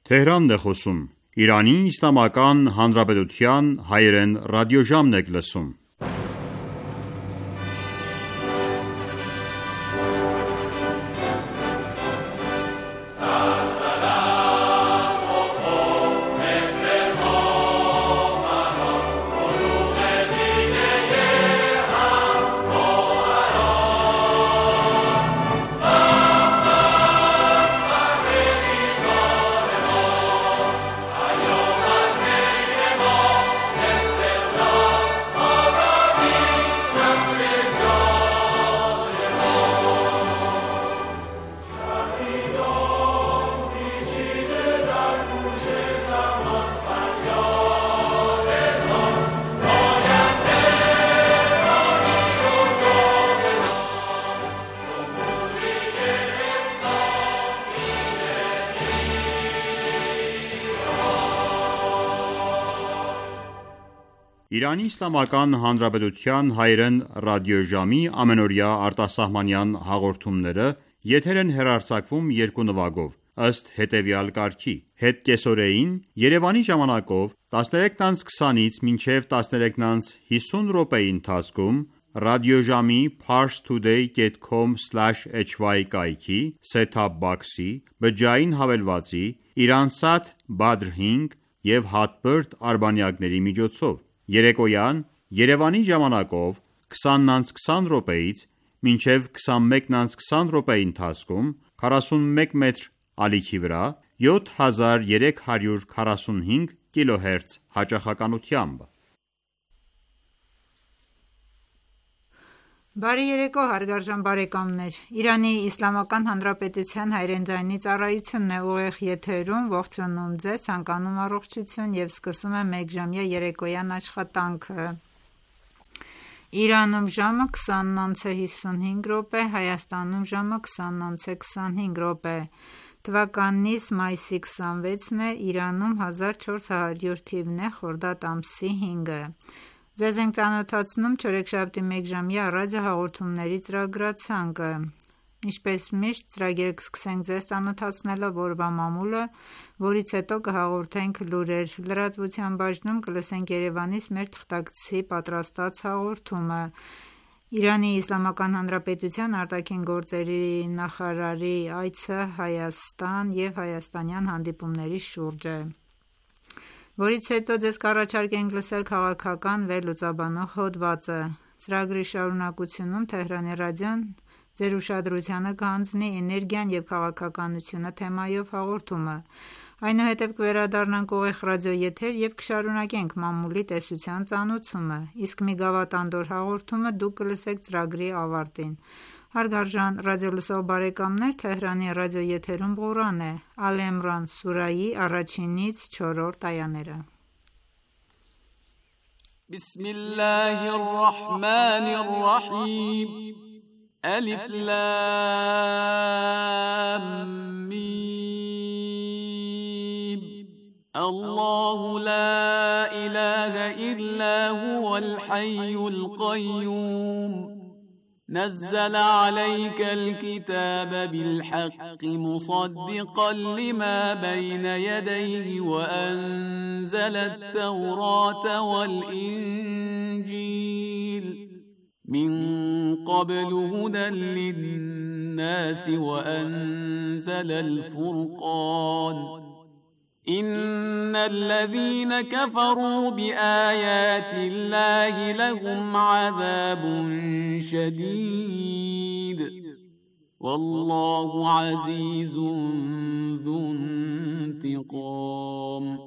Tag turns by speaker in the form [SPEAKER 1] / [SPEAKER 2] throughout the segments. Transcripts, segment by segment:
[SPEAKER 1] Թեհրանն է խոսում։ Իրանի Իսլամական Հանրապետության հայերեն ռադիոժամն եք լսում։ Իրանի Իսլամական Հանրապետության հայերեն ռադիոժամի ամենօրյա արտասահմանյան հաղորդումները եթեր են հեռարձակվում երկու նվագով, ըստ հետևյալ կարգի. Հետկեսօրեին Երևանի ժամանակով 13:20-ից մինչև 13:50 րոպեի ընթացքում ռադիոժամի parstoday.com/hy կայքի set-top box-ի, բջջային հավելվածի, Iransat Badr 5 և Hotbird արբանյակների միջոցով, երեկոյան Երևանի ժամանակով 20:20 րոպեից մինչև 21:20 րոպեի ընթացքում 41 մետր ալիքի վրա 7345 կիլոհերց հաճախականությամբ։
[SPEAKER 2] Բարի երեկո հարգարժան բարեկամներ, Իրանի Իսլամական Հանրապետության հայերեն ձայնի ծառայությունն է ուղիղ եթերում, ողջունում ձեզ, ցանկանում առողջություն և սկսում է մեկժամյա երեկոյան աշխատանքը։ Իրանում ժամը 20:55, Հայաստանում ժամը 20:25, թվականից մայիսի 26-ն է, Իրանում 1400 թիվն է, խորդադ ամսի 5-ը։ Ձեզ ենք ծանոթացնում չորեքշաբթի մեկժամյա ռադիոհաղորդումների ծրագրացանկը։ Ինչպես միշտ ծրագիրը կսկսենք ձեզ ծանոթացնելով օրվա մամուլը, որից հետո կհաղորդենք լուրեր։ Լրատվության բաժնում կլսենք Երևանից մեր թղթակցի պատրաստած հաղորդումը։ Իրանի Իսլամական Հանրապետության արտաքին գործերի նախարարի այցը Հայաստան և հայաստանյան հանդիպումների շուրջ է, որից հետո ձեզ կառաջարկենք լսել քաղաքական վերլուծաբանող հոդվածը։ Ծրագրի շարունակությունում Թեհրանի ռադիոն ձեր ուշադրությանը կհանձնի էներգիան և քաղաքականությունը թեմայով հաղորդումը։ Այնուհետև կվերադառնանք ուղիղ ռադիոեթեր և կշարունակենք մամուլի տեսության ծանոթումը, իսկ մի գավաթանդոր հաղորդումը դուք կլսեք ծրագրի ավարտին։ Հարգարժան ռադիոլսող բարեկամներ, Թեհրանի ռադիոեթերում Ղուրան է, Ալ Էմրան սուրայի 1-ից 4-րդ այաները։
[SPEAKER 3] Բիսմիլլահիռռահմանիռռահիմ Ալիֆ լամ միմ Ալլահու լա իլահա իլլա հուվալ հայյուլ կայյում نزل عليك الكتاب بالحق مصدقا لما بين يديه وأنزل التوراة والإنجيل من قبل هدى للناس وأنزل الفرقان إن الذين كفروا بآيات الله لهم عذاب شديد والله عزيز ذو انتقام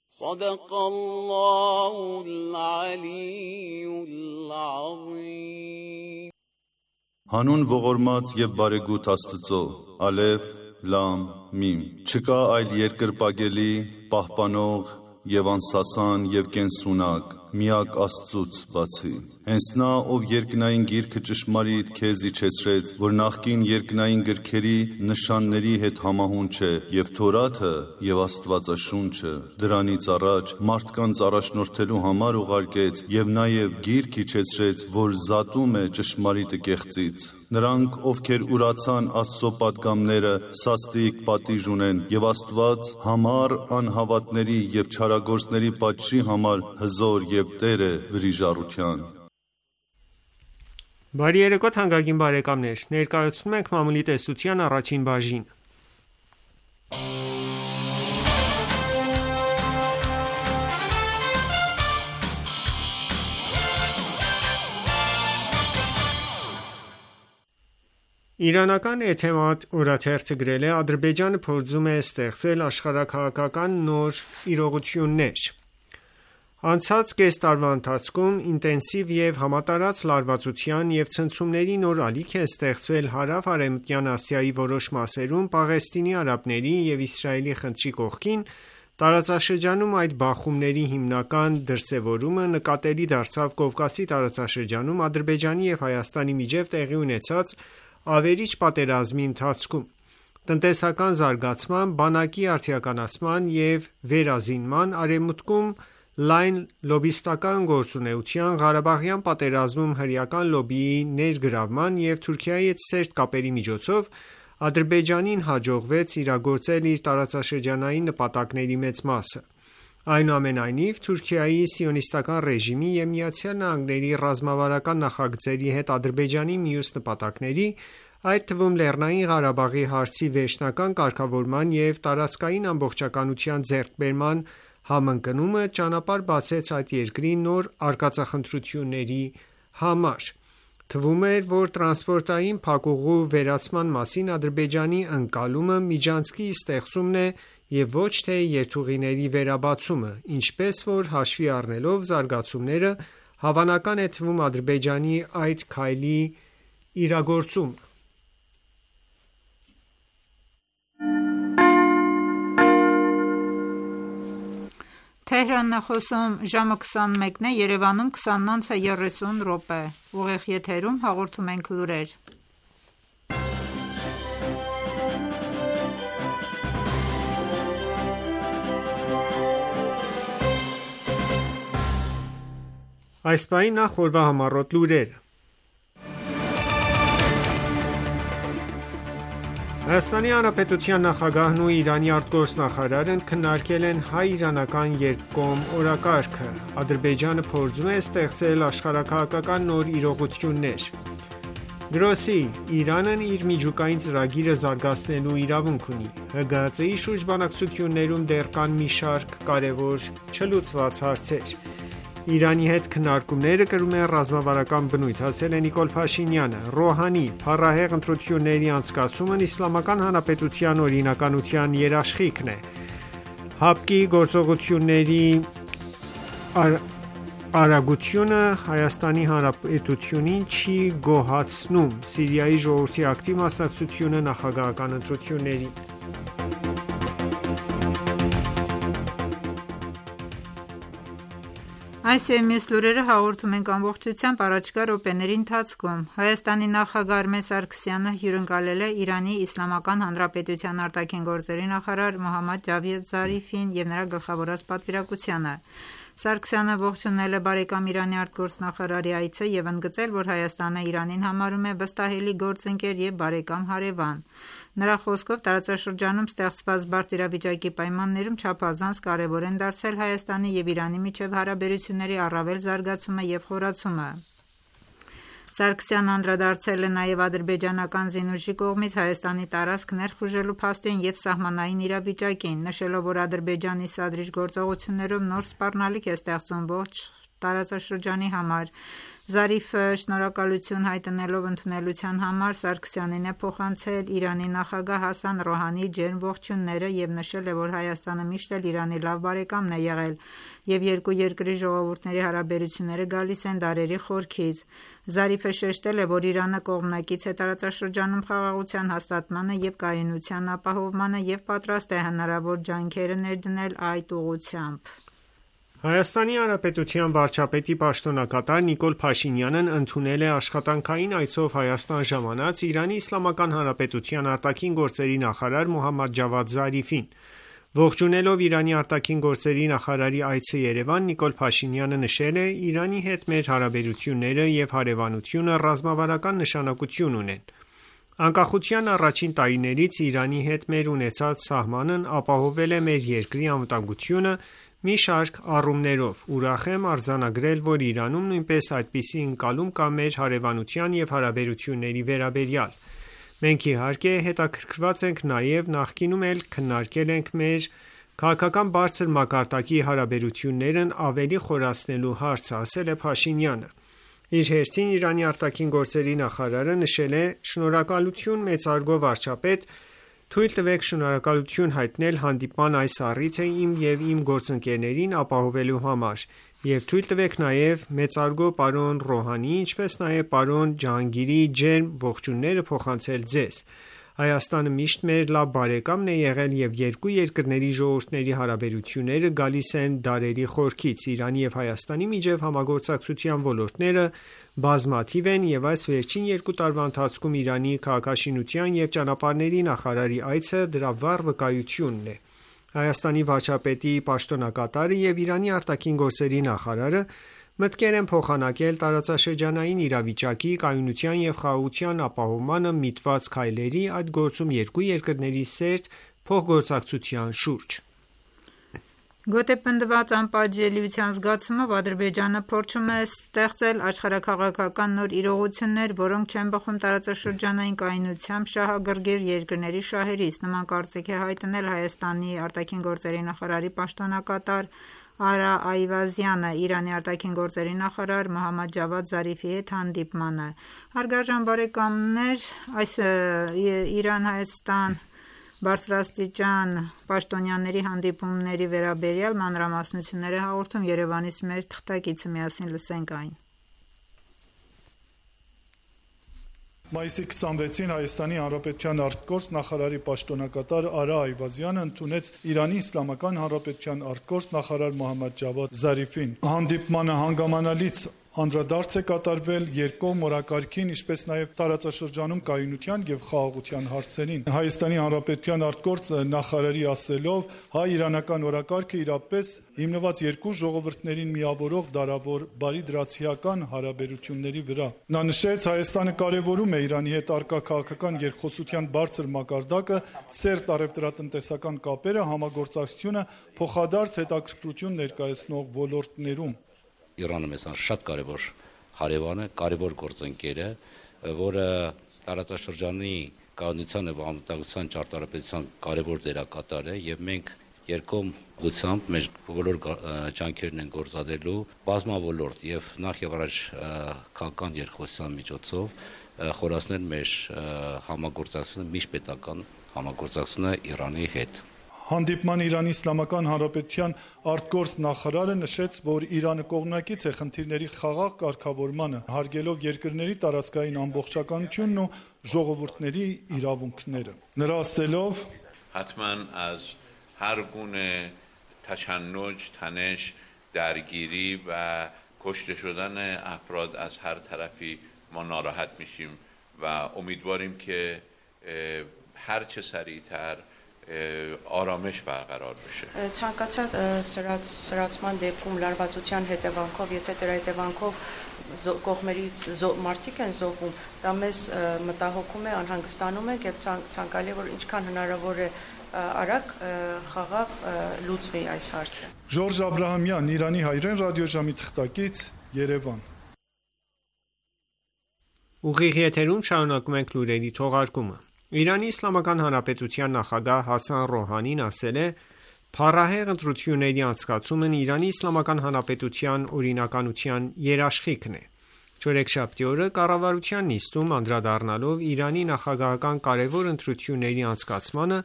[SPEAKER 3] صدق الله العلي العظيم
[SPEAKER 4] Հանուն ողորմած եւ բարեգութ Աստծո, Ալեֆ, Լամ, Միմ։ Չկա այլ երկրպագելի, պահպանող եւ անսասան եւ կենսունակ, միակ Աստծուց բացի։ Հենց նա, ով երկնային գիրքը ճշմարիտ քեզ իջեցրեց, որ նախկին երկնային գրքերի նշանների հետ համահունչ է, եւ Թորաթը եւ Աստվածաշունչը դրանից առաջ մարդկանց առաջնորդելու համար ուղարկեց եւ նաեւ գիրք իջեցրեց, որ զատում է ճշմարիտը կեղծից։ Նրանք, ովքեր ուրացան Աստծո պատգամները, սաստիկ պատիժ ունեն, եւ Աստված համառ անհավատների եւ չարագործների պատժի համար հզոր եւ Տեր է վրիժառության։
[SPEAKER 5] Բարի երեկո թանկագին բարեկամներ, ներկայացնում ենք մամուլի տեսության առաջին բաժինը։ Իրանական Էթեմադ օրաթերթը գրել է. Ադրբեջանը փորձում է ստեղծել աշխարհաքաղաքական նոր իրողություններ։ Անցած կես տարվա ընթացքում ինտենսիվ եւ համատարած լարվածության եւ ցնցումների նոր ալիք է ստեղծվել հարավ-արևմտյան Ասիայի որոշ մասերում Պաղեստինի արաբների եւ Իսրայելի խնդրի կողքին, տարածաշրջանում այդ բախումների հիմնական դրսևորումը նկատելի դարձավ Կովկասի տարածաշրջանում Ադրբեջանի եւ Հայաստանի միջև տեղի ունեցած ավերիչ պատերազմի ընթացքում, տնտեսական զարգացման, բանակի արդիականացման եւ վերազինման, արևմուտքում լայն լոբիստական գործունեության, Ղարաբաղյան պատերազմում հրեական լոբիի ներգրավման եւ Թուրքիայի հետ սերտ կապերի միջոցով Ադրբեջանին հաջողվեց իրագործել իր տարածաշրջանային նպատակների մեծ մասը։ Այնուամենայնիվ, Թուրքիայի սիոնիստական ռեժիմի եւ ԱՄՆ-ի ռազմավարական նախագծերի հետ Ադրբեջանի մյուս նպատակների, այդ թվում Լեռնային Ղարաբաղի հարցի վերջնական կարգավորման եւ տարածքային ամբողջականության ձեռքբերման համընկնումը ճանապարհ բացեց այդ երկրի նոր արկածախնդրությունների համար։ Թվում էր, որ տրանսպորտային փակուղու վերացման մասին Ադրբեջանի ընկալումը միջանցքի ստեղծումն է եւ ոչ թե երթուղիների վերաբացումը, ինչպես որ հաշվի առնելով զարգացումները, հավանական է թվում Ադրբեջանի այդ քայլի իրագործումը։
[SPEAKER 2] Թեհրանն է խոսում, ժամը 21-ն է, Երևանում 20:30 ուղիղ եթերում հաղորդում ենք լուրեր։
[SPEAKER 5] Այս պահին նախ օրվա համառոտ լուրերը։ Հայաստանի Հանրապետության նախագահն ու Իրանի արտգործնախարարն քննարկել են հայ-իրանական երկկողմ օրակարգը։ Ադրբեջանը փորձում է ստեղծել աշխարհաքաղաքական նոր իրողություններ։ Գրոսի. Իրանն իր միջուկային ծրագիրը զարգացնելու իրավունք ունի։ ՀԳՀԾ-ի շուրջ բանակցություններում դեռ կան մի շարք կարևոր չլուծված հարցեր։ Իրանի հետ քննարկումները կրում են ռազմավարական բնույթ, ասել է Նիկոլ Փաշինյանը։ Ռոհանի. Փառահեղ ընտրությունների անցկացումն Իսլամական Հանրապետության օրինականության երաշխիքն է։ ՀԱՊԿ-ի գործողությունների արագությունը Հայաստանի Հանրապետությունին չի գոհացնում։ Սիրիայի ժողովրդի ակտիվ մասնակցությունը նախագահական ընտրություններին։
[SPEAKER 2] Այս եւ մյուս լուրերը հաղորդում ենք ամբողջությամբ առաջիկա րոպեների ընթացքում։ Հայաստանի նախագահ Արմեն Սարգսյանը հյուրընկալել է Իրանի Իսլամական Հանրապետության արտաքին գործերի նախարար Մոհամմադ Ջավադ Զարիֆին եւ նրա գլխավորած պատվիրակությանը։ Սարգսյանը ողջունել է բարեկամ Իրանի արտգործնախարարի այցը եւ ընդգծել, որ Հայաստանը Իրանին համարում է վստահելի գործընկեր եւ բարեկամ հարևան։ Նրա խոսքով տարածաշրջանում ստեղծված բարդ իրավիճակի պայմաններում չափազանց կարևոր են դարձել Հայաստանի եւ Իրանի միջև հարաբերությունների առավել զարգացումը եւ խորացումը։ Սարգսյանը անդրադարձել է նաև ադրբեջանական զինուժի կողմից Հայաստանի տարածք ներխուժելու փաստին եւ սահմանային իրավիճակին, նշելով, որ Ադրբեջանի սադրիչ գործողություններով նոր սպառնալիք է ստեղծում ողջ տարածաշրջանի համար։ Զարիֆը շնորհակալություն հայտնելով ընդունելության համար Սարգսյանին է փոխանցել Իրանի նախագահ Հասան Ռոհանիի ջերմ ողջույնները եւ նշել է, որ Հայաստանը միշտ էլ Իրանի լավ բարեկամն է եղել եւ երկու երկրի ժողովուրդների հարաբերությունները գալիս են դարերի խորքից։ Զարիֆը շեշտել է, որ Իրանը կողմնակից է տարածաշրջանում խաղաղության հաստատմանը եւ կայունության ապահովմանը եւ պատրաստ է հնարավոր ջանքերը ներդնել այդ ուղղությամբ։
[SPEAKER 5] Հայաստանի Հանրապետության վարչապետի պաշտոնակատար Նիկոլ Փաշինյանն ընդունել է աշխատանքային այցով Հայաստան ժամանած Իրանի Իսլամական Հանրապետության արտաքին գործերի նախարար Մոհամմադ Ջավադ Զարիֆին։ Ողջունելով Իրանի արտաքին գործերի նախարարի այցը Երևան, Նիկոլ Փաշինյանը նշել է. «Իրանի հետ մեր հարաբերությունները և հարևանությունը ռազմավարական նշանակություն ունեն։ Անկախության առաջին տարիներից Իրանի հետ մեր ունեցած սահմանն ապահովել է մեր երկրի անվտանգությունը մի շարք առումներով։ Ուրախ եմ արձանագրել, որ Իրանում նույնպես այդպիսի ընկալում կա մեր հարևանության և հարաբերությունների վերաբերյալ։ Մենք իհարկե հետաքրքրված ենք նաև նախկինում էլ քննարկել ենք մեր քաղաքական բարձր մակարդակի հարաբերություններն ավելի խորացնելու հարցը», ասել է Փաշինյանը։ Իր հերթին Իրանի արտաքին գործերի նախարարը նշել է. «Շնորհակալություն մեծարգո վարչապետ, թույլ տվեք շնորհակալություն հայտնել հանդիպման այս առիթը իմ և իմ գործընկերներին ապահովելու համար և թույլ տվեք նաև մեծարգո պարոն Ռոհանիի, ինչպես նաև պարոն Ջահանգիրի ջերմ ողջույնները փոխանցել ձեզ։ Հայաստանը միշտ մեր լավ բարեկամն է եղել և երկու երկրների ժողովուրդների հարաբերությունները գալիս են դարերի խորքից։ Իրանի և Հայաստանի միջև համագործակցության ոլորտները բազմաթիվ են և այս վերջին 2 տարվա ընթացքում Իրանի քաղաքաշինության և ճանապարհների նախարարի այցը դրա վառ վկայությունն է։ Հայաստանի վարչապետի պաշտոնակատարը և Իրանի արտաքին գործերի նախարարը մտկեր են փոխանակել տարածաշրջանային իրավիճակի, կայունության և խաղաղության ապահովմանը միտված քայլերի, այդ գործում երկու երկրների սերտ փոխգործակցության շուրջ։
[SPEAKER 2] Գոտեպնդված անպատժելիության զգացումով Ադրբեջանը փորձում է ստեղծել աշխարհաքաղաքական նոր իրողություններ, որոնք չեն բխում տարածաշրջանային կայունությամբ շահագրգիռ երկրների շահերից։ Նման կարծիք է հայտնել Հայաստանի արտաքին գործերի նախարարի պաշտոնակատար Արա Այվազյանը Իրանի արտաքին գործերի նախարար Մոհամմադ Ջավադ Զարիֆի հետ հանդիպմանը։ Հարգարժան բարեկամներ, այս Իրան-Հայաստան բարձրաստիճան պաշտոնյաների հանդիպումների վերաբերյալ մանրամասնություններ է հաղորդում Երևանից մեր թղթակիցը, միասին լսենք այն։
[SPEAKER 6] Մայիսի 26-ին Հայաստանի Հանրապետության արտգործ նախարարի պաշտոնակատար Արա Այվազյանը ընդունեց Իրանի Իսլամական Հանրապետության արտգործ նախարար Մոհամմադ Ջավադ Զարիֆին։ Հանդիպմանը հանգամանալից անդրադարձ է կատարվել երկկողմ օրակարգին, ինչպես նաև տարածաշրջանում կայունության և խաղաղության հարցերին։ Հայաստանի Հանրապետության արտգործ նախարարի ասելով, հայ-իրանական օրակարգը իրապես հիմնված երկու ժողովուրդներին միավորող դարավոր բարիդրացիական հարաբերությունների վրա։ Նա նշեց, Հայաստանը կարևորում է Իրանի հետ առկա քաղաքական երկխոսության բարձր մակարդակը, սերտ առևտրատնտեսական կապերը, համագործակցությունը փոխադարձ հետաքրքրություն ներկայացնող ոլորտներում։
[SPEAKER 7] Իրանը մեզ շատ կարևոր հարևան է, կարևոր գործընկեր է, որը տարածաշրջանի կայունության և անվտանգության ճարտարապետության կարևոր դերակատար է և մենք երկկողմությամբ մեր բոլոր ջանքերն են գործադրելու բազմավոլորտ և նախ և առաջ քաղաքական երկխոսության միջոցով խորացնել մեր համագործակցությունը, միջպետական համագործակցությունը Իրանի հետ։
[SPEAKER 6] Հանդիպման Իրանի Իսլամական Հանրապետության արտգործ նախարարը նշեց, որ Իրանը կողմնակից է խնդիրների խաղաղ կարգավորմանը, հարգելով երկրների տարածքային ամբողջականությունն ու ժողովուրդների իրավունքները։ Նրա ասելով,
[SPEAKER 8] حتما از هر گونه تشنج، تنش، درگیری و کشته شدن افراد از هر طرفی ما ناراحت میشیم و امیدواریم که هر چه سریعتر آرامش برقرار بشه.
[SPEAKER 9] Ցանկացած սրացման դեպքում լարվածության հետևանքով, եթե դրա հետևանքով կողմերից մարդիկ են զոհվում, դա մեզ մտահոգում է, անհանգստանում ենք եւ ցանկալի է, որ ինչքան հնարավոր է արագ խաղաղ լուծվի այս հարցը։
[SPEAKER 6] Ժորժ Աբրահամյան, Իրանի հայրեն ռադիոժամի թղթակից, Երևան։
[SPEAKER 5] Ուղիղ եթերում շարունակում ենք լուրերի թողարկումը։ Իրանի Իսլամական Հանրապետության նախագահ Հասան Ռոհանին ասել է. «Փառահեղ ընտրությունների անցկացումն Իրանի Իսլամական Հանրապետության օրինականության երաշխիքն է»։ Չորեքշաբթի օրը կառավարության նիստում անդրադառնալով Իրանի նախագահական կարևոր ընտրությունների անցկացմանը,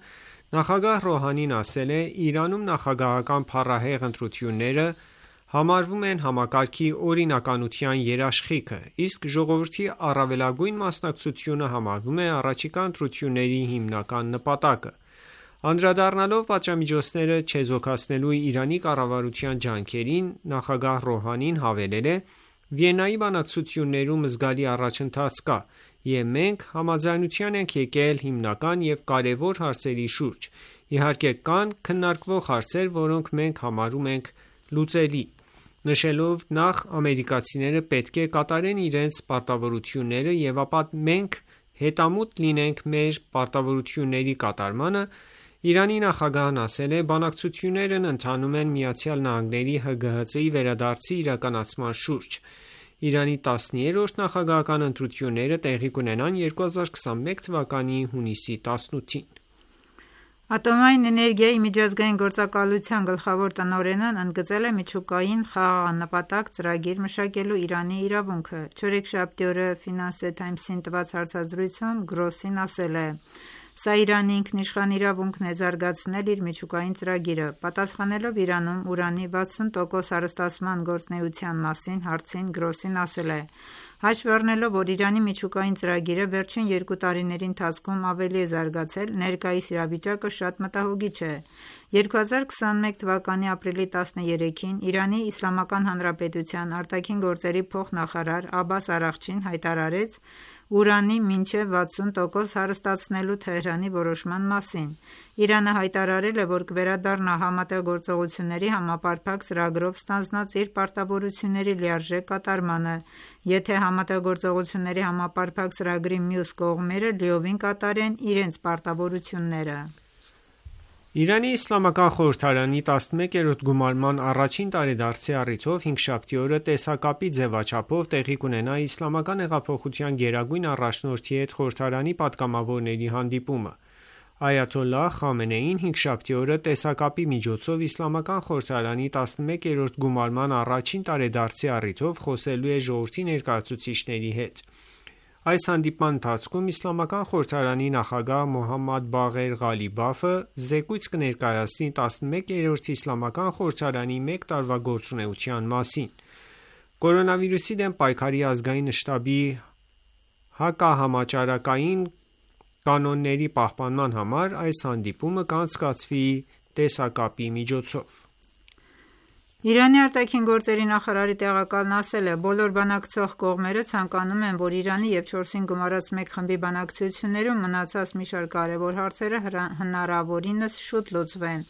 [SPEAKER 5] նախագահ Ռոհանին ասել է. «Իրանում նախագահական փառահեղ ընտրությունները համարվում են համակարգի օրինականության երաշխիքը, իսկ ժողովրդի առավելագույն մասնակցությունը համարվում է առաջիկա ընտրությունների հիմնական նպատակը»։ Անդրադառնալով պատժամիջոցները չեզոքացնելու Իրանի կառավարության ջանքերին, նախագահ Ռոհանին հավելել է. «Վիեննայի բանակցություններում զգալի առաջընթաց կա, և մենք համաձայնության ենք եկել հիմնական և կարևոր հարցերի շուրջ, Իհարկե կան քննարկվող հարցեր, որոնք մենք համարում ենք լուծելի, նշելով նախ ամերիկացիները պետք է կատարեն իրենց պարտավորությունները և ապա մենք հետամուտ լինենք մեր պարտավորությունների կատարմանը, Իրանի նախագահն ասել է. բանակցություններն ընթանում են ԱՄՆ-ի ՀԳՀԾ-ի վերադարձի իրականացման շուրջ: Իրանի 13-րդ նախագահական ընտրությունները տեղի կունենան 2021 թվականի հունիսի 18-ին:
[SPEAKER 2] Ատոմային էներգիայի միջազգային գործակալության գլխավոր տնօրենն ընդգծել է միջուկային խաղաղանպատակ ծրագիր մշակելու Իրանի իրավունքը: Չորեքշաբթի օրը Financial Times-ին տված հարցազրույցում Գրոսին ասել է. «Սա Իրանի ինքնիշխան իրավունքն է զարգացնել իր միջուկային ծրագիրը»: Պատասխանելով Իրանում ուրանի 60% հարստացման գործունեության մասին հարցին, Գրոսին ասել է. «Հաշվի առնելով, որ Իրանի միջուկային ծրագիրը վերջին 2 տարիների ընթացքում ավելի է զարգացել, ներկայիս իրավիճակը շատ մտահոգիչ է»: 2021 թվականի ապրիլի 13-ին Իրանի Իսլամական Հանրապետության արտաքին գործերի փոխնախարար Աբբաս Արաղչին հայտարարեց ուրանի մինչև 60% հարստացնելու Թեհրանի որոշման մասին: Իրանը հայտարարել է, որ կվերադառնա Համատեղ գործողությունների համապարփակ ծրագրով ստանձնած իր պարտավորությունների լիարժեք կատարմանը, եթե Համատեղ գործողությունների համապարփակ ծրագրի մյուս կողմերը լիովին կատարեն իրենց պարտավորությունները:
[SPEAKER 5] Իրանի Իսլամական խորհրդարանի 11-րդ գումարման առաջին տարեդարձի առիթով հինգշաբթի օրը տեսակապի ձևաչափով տեղի կունենա Իսլամական հեղափոխության գերագույն առաջնորդի հետ խորհրդարանի պատգամավորների հանդիպումը: Այաթոլլահ Խամենեին հինգշաբթի օրը տեսակապի միջոցով Իսլամական խորհրդարանի 11-րդ գումարման առաջին տարեդարձի առիթով խոսելու է ժողովրդի ներկայացուցիչների հետ: Այս հանդիպման ընթացքում Իսլամական խորհրդարանի նախագահ Մոհամմադ Բաղեր Ղալիբաֆը զեկույց կներկայացնի 11-րդ Իսլամական խորհրդարանի մեկ տարվա գործունեության մասին: Կորոնավիրուսի դեմ պայքարի ազգային շտաբի հակահամաճարակային կանոնների պահպանման համար այս հանդիպումը կանցկացվի տեսակապի միջոցով:
[SPEAKER 2] Իրանի ԱԳ նախարարի տեղակալն ասել է. «Բոլոր բանակցող կողմերը ցանկանում են, որ Իրանի և 4-ին գումարած մեկ խմբի բանակցություններում մնացած մի շարք կարևոր հարցերը հնարավորինս շուտ լուծվեն»: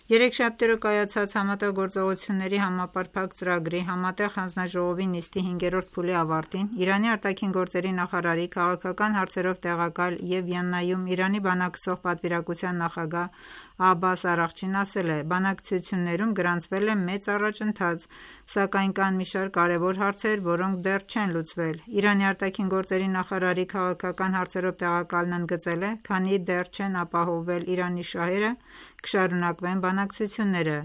[SPEAKER 2] Երեքշաբթի օրը կայացած Համատեղ գործողությունների համապարփակ ծրագրի Համատեղ հանձնաժողովի նիստի 5-րդ փուլի ավարտին Իրանի ԱԳ նախարարի քաղաքական հարցերով տեղակալ և Վիեննայում Իրանի բանակցող պատվիրակության նախագահ Աբբաս Արաղչին ասել է. «Բանակցություններում գրանցվել է մեծ առաջընթաց, սակայն կան մի շարք կարևոր հարցեր, որոնք դեռ չեն լուծվել»: Իրանի ԱԳ նախարարի քաղաքական հարցերով տեղակալն ընդգծել է. «Քանի դեռ չեն ապահովվել Իրանի շահերը, կշարունակվեն բանակցությունները»: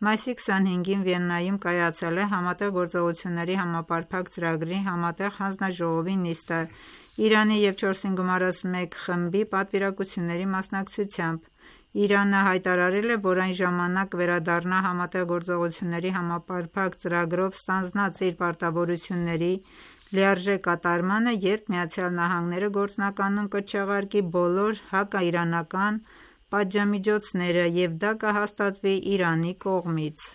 [SPEAKER 2] Մայիսի 25-ին Վիեննայում կայացել է Համատեղ գործողությունների համապարփակ ծրագրի Համատեղ հանձնաժողովի նիստը Իրանի և 4-ին գումարած մեկ խմբի պատվիրակությունների մասնակցությամբ: Իրանը հայտարարել է, որ այն ժամանակ կվերադառնա Համատեղ գործողությունների համապարփակ ծրագրով ստանձնած իր պարտավորությունների լիարժեք կատարմանը, երբ ԱՄՆ-ը գործնականում կչեղարկի բոլոր հակաիրանական պատժամիջոցները և դա կհաստատվի Իրանի կողմից: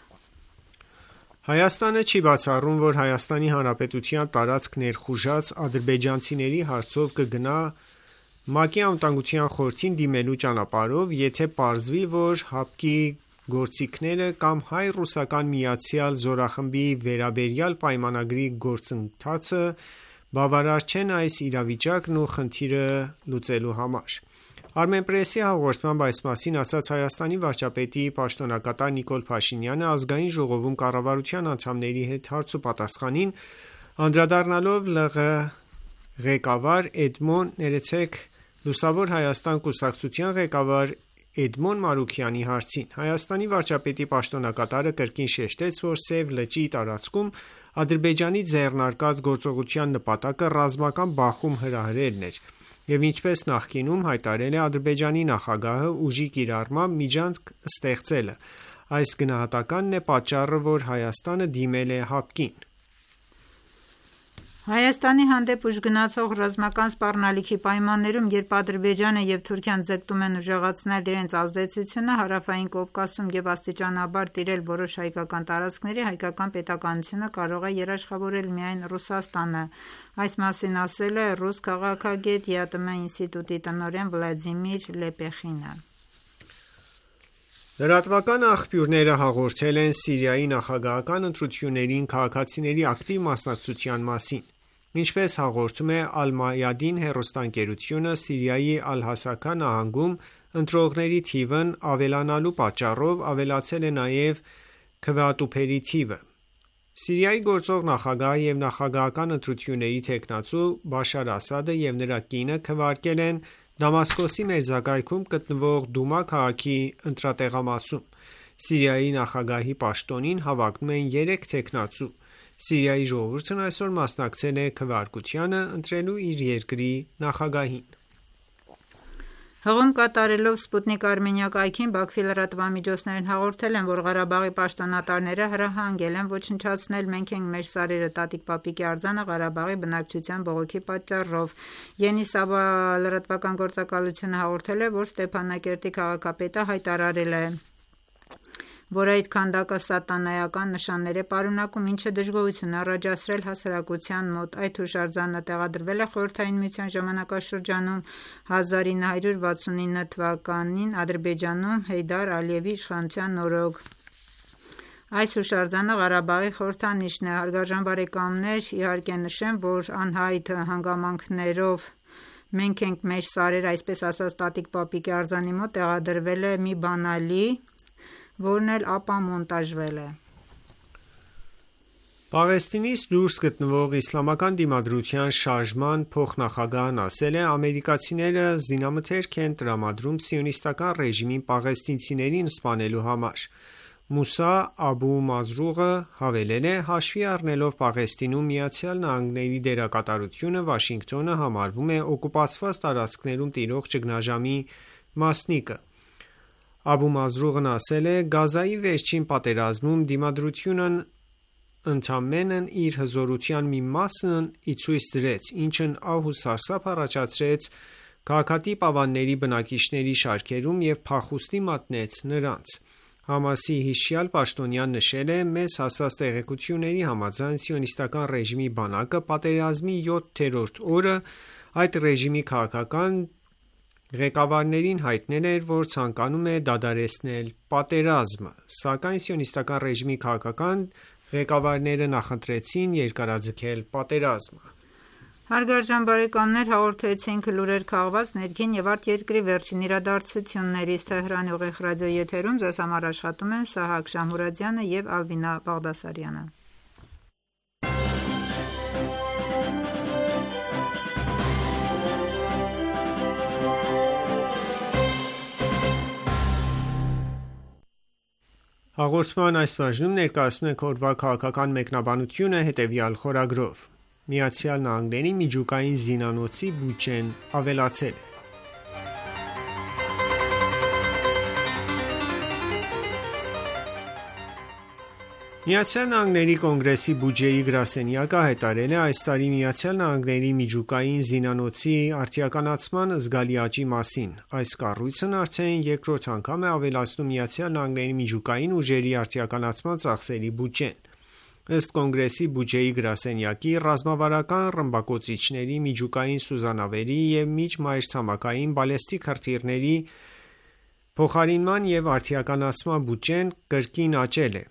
[SPEAKER 5] Հայաստանը չի բացառում, որ Հայաստանի Հանրապետության տարածք ներխուժած ադրբեջանցիների հարցով կգնա ՄԱԿ-ի Անվտանգության խորհրդին դիմելու ճանապարհով, եթե պարզվի, որ ՀԱՊԿ-ի գործիքները կամ հայ-ռուսական միացյալ զորախմբի վերաբերյալ պայմանագրի գործընթացը բավարար չեն այս իրավիճակն ու խնդիրը լուծելու համար: Armenpress-ի հաղորդմամբ այս մասին ասաց Հայաստանի վարչապետի պաշտոնակատար Նիկոլ Փաշինյանը Ազգային ժողովում կառավարության անդամների հետ հարցուպատասխանին, անդրադառնալով ԼՂ ղեկավար Լուսավոր Հայաստան կուսակցության ղեկավար Էդմոն Մարուքյանի հարցին: Հայաստանի վարչապետի պաշտոնակատարը կրկին շեշտեց, որ Սև լճի տարածքում Ադրբեջանի ձեռնարկած գործողության նպատակը ռազմական բախում հրահրելն էր և ինչպես նախկինում հայտարարել է Ադրբեջանի նախագահը, ուժի կիրառմամբ միջանցք ստեղծելը: Այս գնահատականն է պատճառը, որ Հայաստանը դիմել է ՀԱՊԿ-ին:
[SPEAKER 2] Հայաստանի հանդեպ ուժգնացող ռազմական սպառնալիքի պայմաններում, երբ Ադրբեջանը և Թուրքիան ձգտում են ուժեղացնել իրենց ազդեցությունը Հարավային Կովկասում և աստիճանաբար տիրել որոշ հայկական տարածքների, հայկական պետականությունը կարող է երաշխավորել միայն Ռուսաստանը: Այս մասին ասել է ռուս քաղաքագետ ԵԱՏՄ ինստիտուտի տնօրեն Վլադիմիր Լեպեխինը:
[SPEAKER 5] Լրատվական աղբյուրները հաղորդել են Սիրիայի նախագահական ընտրություններին քաղաքացիների ակտիվ մասնակցության մասին։ Ինչպես հաղորդում է Al-Mayadin հեռուստաընկերությունը, Սիրիայի Ալ-Հասակա նահանգում ընտրողների թիվն ավելանալու պատճառով ավելացել է նաև քվեատուփերի թիվը։ Սիրիայի գործող նախագահ և նախագահական ընտրությունների թեկնածու Բաշար Ասադը և նրա կինը քվեարկել են Դամասկոսի մերձակայքում գտնվող Դումա քաղաքի ընտրատեղամասում։ Սիրիայի նախագահի պաշտոնին հավակնում են 3 թեկնածու։ Սիրիայի ժողովուրդն այսօր մասնակցել է քվեարկությանը՝ ընտրելու իր երկրի նախագահին։
[SPEAKER 2] Հղում կատարելով Սպուտնիկ Արմենիա կայքին Բաքվի լրատվամիջոցներն հաղորդել են, որ Ղարաբաղի պաշտոնատարները հրահանգել են ոչնչացնել «Մենք ենք, մեր սարերը» տատիկ Պապիկի արձանը Ղարաբաղի բնակչության բողոքի պատճառով։ Ենիսաբա լրատվական գործակալությունը հաղորդել է, որ Ստեփանակերտի քաղաքապետը հայտարարել է, որ այդ քանդակը սատանայական նշաններ է պարունակում, ինչը դժգոհություն է առաջացրել հասարակության մոտ։ Այդ հուշարձանը տեղադրվել է Խորհրդային Միության ժամանակաշրջանում 1969 թվականին Ադրբեջանում Հեյդար Ալիևի իշխանության օրոք։ Այս հուշարձանը Ղարաբաղի խորհրդանիշն է։ Հարգարժան բարեկամներ, իհարկե նշեմ, որ անհայտ հանգամանքներով «Մենք ենք, մեր սարերը», այսպես ասած տատիկ Պապիկի արձանի մոտ տեղադրվել է մի բանալի, որն էլ ապա մոնտաժվել է։
[SPEAKER 5] Պաղեստինից դուրս գտնվող Իսլամական դիմադրության շարժման փոխնախագահն ասել է. ամերիկացիները զինամթերք են տրամադրում սիոնիստական ռեժիմին պաղեստինցիներին սպանելու համար։ Մուսա Աբու Մազրուղը հավելել է. հաշվի առնելով Պաղեստինում ԱՄՆ-ի դերակատարությունը, Վաշինգտոնը համարվում է օկուպացված տարածքներում տիրող ճգնաժամի մասնիկը։ Աբու Մազրուղն ասել է. Գազայի վերջին պատերազմում դիմադրությունն ընդամենն իր հզորության մի մասն ի ցույց դրեց, ինչն ահ ու սարսափ առաջացրեց քաղաքատիպ ավանների բնակիչների շարքերում և փախուստի մատնեց նրանց։ Համասի հիշյալ պաշտոնյան նշել է. մեզ հասած տեղեկությունների համաձայն սիոնիստական ռեժիմի բանակը պատերազմի 7-րդ օրը այդ ռեժիմի քաղաքական ղեկավարներին հայտնել էր, որ ցանկանում է դադարեցնել պատերազմը, սակայն սիոնիստական ռեժիմի քաղաքական ղեկավարները նախընտրեցին երկարաձգել պատերազմը։
[SPEAKER 2] Հարգարժան բարեկամներ, հաղորդեցինք լուրեր քաղված ներքին և արտերկրի վերջին իրադարձություններից։ Թեհրանի ուղիղ ռադիոյի եթերում ձեզ համար աշխատում են Սահակ Շամուրադյանը և Ալվինա Բաղդասարյանը։
[SPEAKER 5] Հաղորդման այս բաժնում ներկայացնում ենք օրվա քաղաքական մեկնաբանությունը հետևյալ խորագրով. ԱՄՆ-ի միջուկային զինանոցի բյուջեն ավելացել է։ ԱՄՆ կոնգրեսի բյուջեի գրասենյակը հայտարարել է այս տարի ԱՄՆ միջուկային զինանոցի արդիականացման զգալի աճի մասին։ Այս կառույցն արդեն երկրորդ անգամ է ավելացնում ԱՄՆ միջուկային ուժերի արդիականացման ծախսերի բյուջեն։ Ըստ կոնգրեսի բյուջեի գրասենյակի, ռազմավարական ռմբակոծիչների, միջուկային սուզանավերի և միջմայրցամաքային բալեստիկ հրթիռների փոխարինման և արդիականացման բյուջեն կրկին աճել է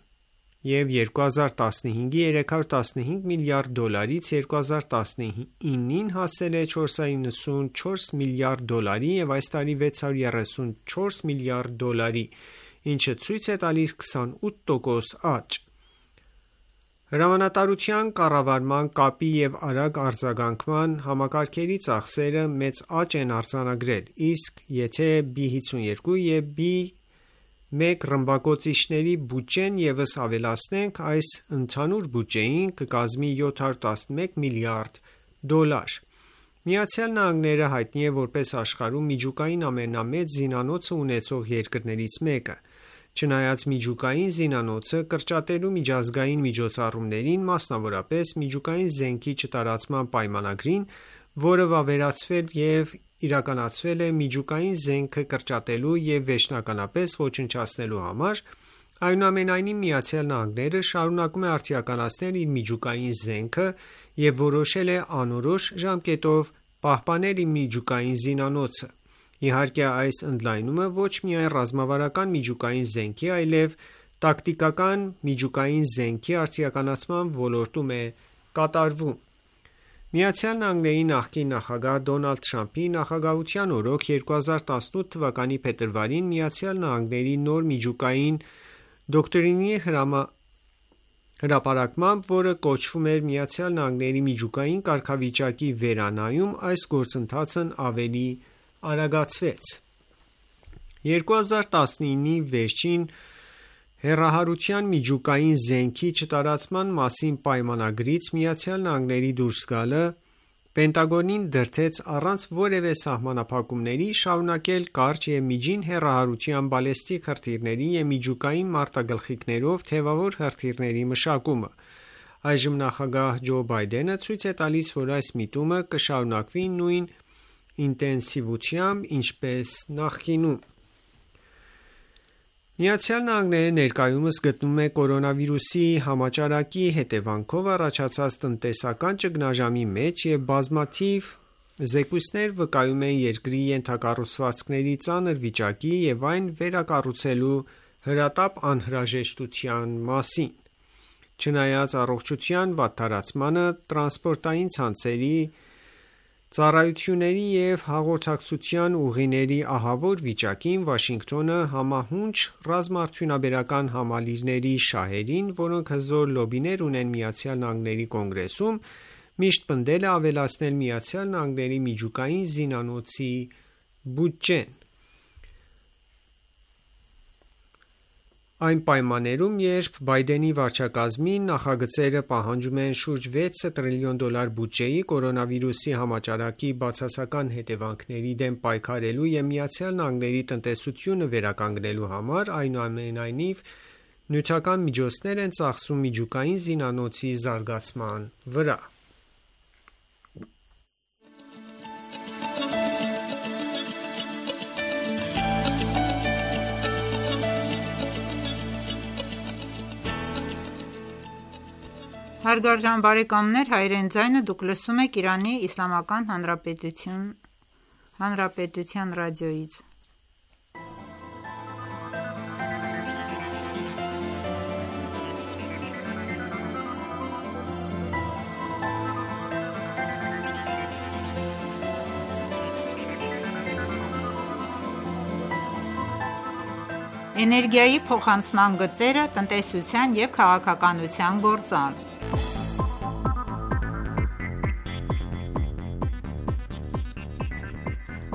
[SPEAKER 5] և 2015-ի 315 միլիարդ դոլարից 2019-ին հասել է 494 միլիարդ դոլարի և այս տարի 634 միլիարդ դոլարի, ինչը ցույց է տալիս 28% աճ։ Հրամանատարության կառավարման, կապի և արագ արձագանքման համակարգերի ծախսերը մեծ աճ են արձանագրել, իսկ եթե B-52 և B-1 ռմբակոծիչների բյուջեն ևս ավելացնենք, այս ընդհանուր բյուջեին կկազմի 711 միլիարդ դոլար։ ԱՄՆ-ը հայտնի է որպես աշխարհում միջուկային ամենամեծ զինանոցը ունեցող երկրներից մեկը։ Չնայած միջուկային զինանոցը կրճատելու միջազգային միջոցառումներին, մասնավորապես միջուկային զենքի չտարածման պայմանագրին, որը վավերացվել և իրականացվել է միջուկային զենքը կրճատելու և վերջնականապես ոչնչացնելու համար, այնուամենայնիվ ԱՄՆ-ը շարունակում է արդիականացնել իր միջուկային զենքը և որոշել է անորոշ ժամկետով պահպանել իր միջուկային զինանոցը։ Իհարկե, այս ընդլայնումը ոչ միայն ռազմավարական միջուկային զենքի, այլև տակտիկական միջուկային զենքի արդիականացման ոլորտում է կատարվում։ ԱՄՆ-ի նախկին նախագահ Դոնալդ Թրամփի նախագահության օրոք 2018 թվականի փետրվարին ԱՄՆ-ի նոր միջուկային դոկտրինի հրապարակմամբ, որը կոչվում էր ԱՄՆ-ի միջուկային կարգավիճակի վերանայում, այս գործընթացն ավելի արագացվեց։ 2019-ի վերջին հեռահարության միջուկային զենքի չտարածման մասին պայմանագրից ԱՄՆ-ի դուրս գալը Պենտագոնին դրդեց առանց որևէ սահմանափակումների շարունակել կարճ և միջին հեռահարության բալեստիկ հրթիռների և միջուկային մարտագլխիկներով թևավոր հրթիռների մշակումը։ Այժմ նախագահ Ջո Բայդենը ցույց է տալիս, որ այս միտումը կշարունակվի նույն ինտենսիվությամբ, ինչպես նախկինում։ ԱՄՆ-ն ներկայումս գտնվում է կորոնավիրուսի համաճարակի հետևանքով առաջացած տնտեսական ճգնաժամի մեջ և բազմաթիվ զեկույցներ վկայում են երկրի ենթակառուցվածքների ծանր վիճակի և այն վերակառուցելու հրատապ անհրաժեշտության մասին։ Չնայած առողջության վատթարացմանը, տրանսպորտային ցանցերի, ծառայությունների և հաղորդակցության ուղիների ահավոր վիճակին, Վաշինգտոնը համահունչ ռազմաարդյունաբերական համալիրների շահերին, որոնք հզոր լոբիներ ունեն ԱՄՆ Կոնգրեսում, միշտ պնդել է ավելացնել ԱՄՆ միջուկային զինանոցի բյուջեն։ Այն պայմաններում, երբ Բայդենի վարչակազմի նախագծերը պահանջում են շուրջ $6 տրիլիոն բյուջեի կորոնավիրուսի համաճարակի բացասական հետևանքների դեմ պայքարելու և ԱՄՆ տնտեսությունը վերականգնելու համար, այնուամենայնիվ, նյութական միջոցներ են ծախսում միջուկային զինանոցի զարգացման վրա։
[SPEAKER 2] Հարգարժան բարեկամներ, Հայրեն ձայնը դուք լսում եք Իրանի Իսլամական Հանրապետության ռադիոյից։ Էներգիայի փոխանցման գծերը տնտեսության և քաղաքականության գործոն։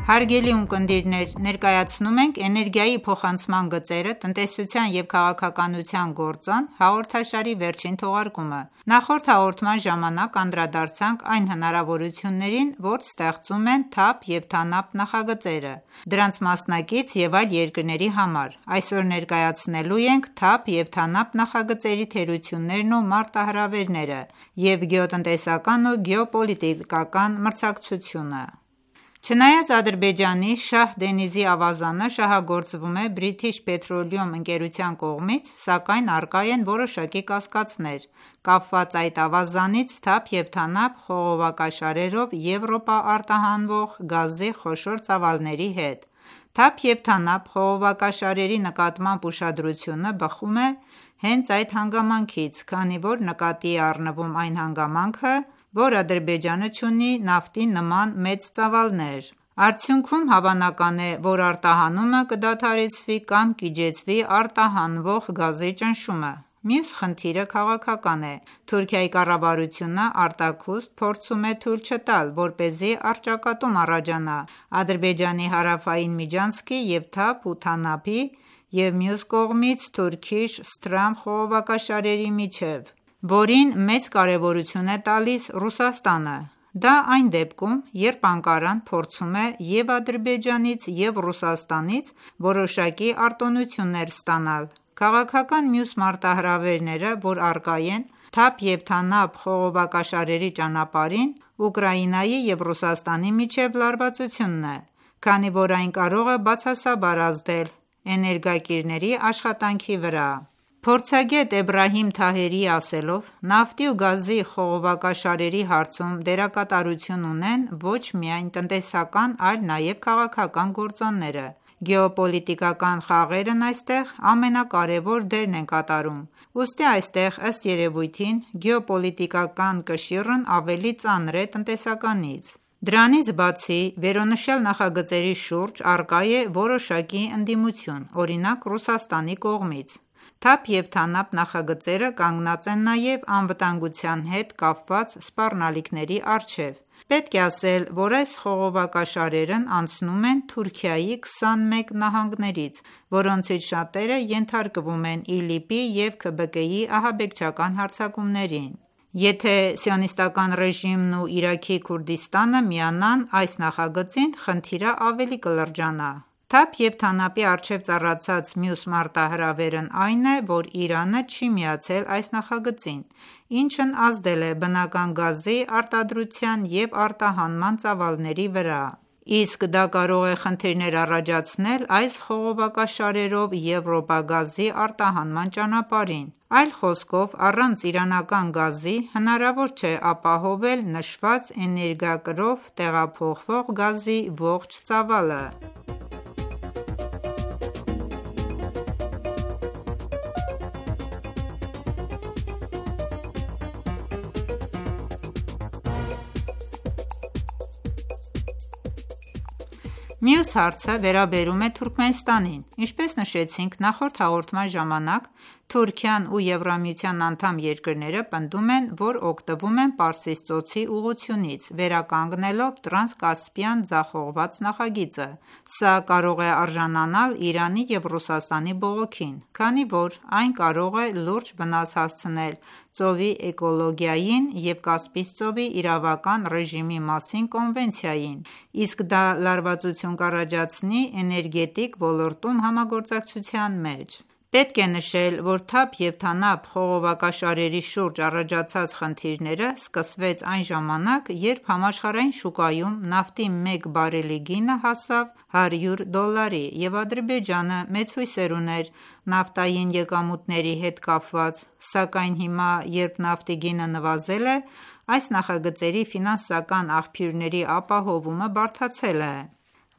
[SPEAKER 2] Հարգելի ունկնդիրներ, ներկայացնում ենք «Էներգիայի փոխանցման գծերը տնտեսության և քաղաքականության գործոն» հաղորդաշարի վերջին թողարկումը։ Նախորդ հաղորդման ժամանակ անդրադարձանք այն հնարավորություններին, որ ստեղծում են թափ և թանապ նախագծերը, դրանց մասնակից և այլ երկրների համար։ Այսօր ներկայացնելու ենք թափ և թանապ նախագծերի թերություններն ու մարտահրավերները և գեոտնտեսական ու գեոպոլիտիկական մրցակցությունը։ Չնայած Ադրբեջանի Շահ Դենիզի ավազանը շահագործվում է British Petroleum ընկերության կողմից, սակայն առկա են որոշակի կասկածներ՝ կապված այդ ավազանից թափ և թանապ խողովակաշարերով Եվրոպա արտահանվող գազի խոշոր ծավալների հետ։ Թափ և թանապ խողովակաշարերի նկատմամբ ուշադրությունը բխում է հենց այդ հանգամանքից, քանի որ նկատի է առնվում այն հանգամանքը, որ Ադրբեջանը չունի նավթի նման մեծ ծավալներ։ Արդյունքում հավանական է, որ արտահանումը կդադարեցվի կամ կիջեցվի արտահանվող գազի ճնշումը։ Մյուս խնդիրը քաղաքական է։ Թուրքիայի կառավարությունը արտաքուստ փորձում է թույլ չտալ, որպեսզի առճակատում առաջանա Ադրբեջանի հարավային միջանցքի և թափ ու թանապի և մյուս կողմից Turkish Stram խողովակաշարերի միջև, որին մեծ կարևորություն է տալիս Ռուսաստանը։ Դա այն դեպքում, երբ Անկարան փորձում է և Ադրբեջանից, և Ռուսաստանից որոշակի արտոնություններ ստանալ։ Քաղաքական մյուս մարտահրավերները, որ առկա են թափ և թանապ խողովակաշարերի ճանապարհին, Ուկրաինայի և Ռուսաստանի միջև լարվածությունն է, քանի որ այն կարող է բացասաբար ազդել էներգակիրների աշխատանքի վրա։ Փորձագետ Էբրահիմ Թահերիի ասելով, նավթի ու գազի խողովակաշարերի հարցում դերակատարություն ունեն ոչ միայն տնտեսական, այլ նաև քաղաքական գործոնները։ Գեոպոլիտիկական խաղերն այստեղ ամենակարևոր դերն են կատարում։ Ուստի այստեղ, ըստ երևույթին, գեոպոլիտիկական կշիռն ավելի ծանր է տնտեսականից։ Դրանից բացի, վերոնշյալ նախագծերի շուրջ առկա է որոշակի ընդդիմություն, օրինակ Ռուսաստանի կողմից։ Թափ և TANAP նախագծերը կանգնած են նաև անվտանգության հետ կապված սպառնալիքների առջև։ Պետք է ասել, որ այս խողովակաշարերն անցնում են Թուրքիայի 21 նահանգներից, որոնցից շատերը ենթարկվում են ԻԼԻՊ-ի և ՔԲԿ-ի ահաբեկչական հարձակումներին։ Եթե Սիոնիստական ռեժիմն ու Իրաքի Քուրդիստանը միանան այս նախագծին, խնդիրը ավելի կլրջանա։ Թափ և TANAP-ի առջև ծառացած մյուս մարտահրավերն այն է, որ Իրանը չի միացել այս նախագծին, ինչն ազդել է բնական գազի արտադրության և արտահանման ծավալների վրա։ Իսկ դա կարող է խնդիրներ առաջացնել այս խողովակաշարերով եվրոպագազի արտահանման ճանապարհին։ Այլ խոսքով, առանց իրանական գազի հնարավոր չէ ապահովել նշված էներգակրով տեղափոխվող գազի ողջ ծավալը։ Մյուս հարցը վերաբերում է Թուրքմենստանին։ Ինչպես նշեցինք նախորդ հաղորդման ժամանակ, Թուրքիան ու Եվրամիության անդամ երկրները պնդում են, որ օգտվում են Պարսից ծոցի ուղղությունից, վերականգնելով Տրանսկասպիան ձախողված նախագիծը։ Սա կարող է արժանանալ Իրանի և Ռուսաստանի բողոքին, քանի որ այն կարող է լուրջ վնաս հասցնել ծովի էկոլոգիային և Կասպից ծովի իրավական ռեժիմի մասին կոնվենցիային, իսկ դա լարվածություն կառաջացնի էներգետիկ ոլորտում համագործակցության մեջ։ Պետք է նշել, որ Թափ և TANAP խողովակաշարերի շուրջ առաջացած խնդիրները սկսվեց այն ժամանակ, երբ համաշխարհային շուկայում նավթի մեկ բարելի գինը հասավ $100, և Ադրբեջանը մեծ հույսեր ուներ նավթային եկամուտների հետ կապված, սակայն հիմա, երբ նավթի գինը նվազել է, այս նախագծերի ֆինանսական աղբյուրների ապահովումը բարդացել է։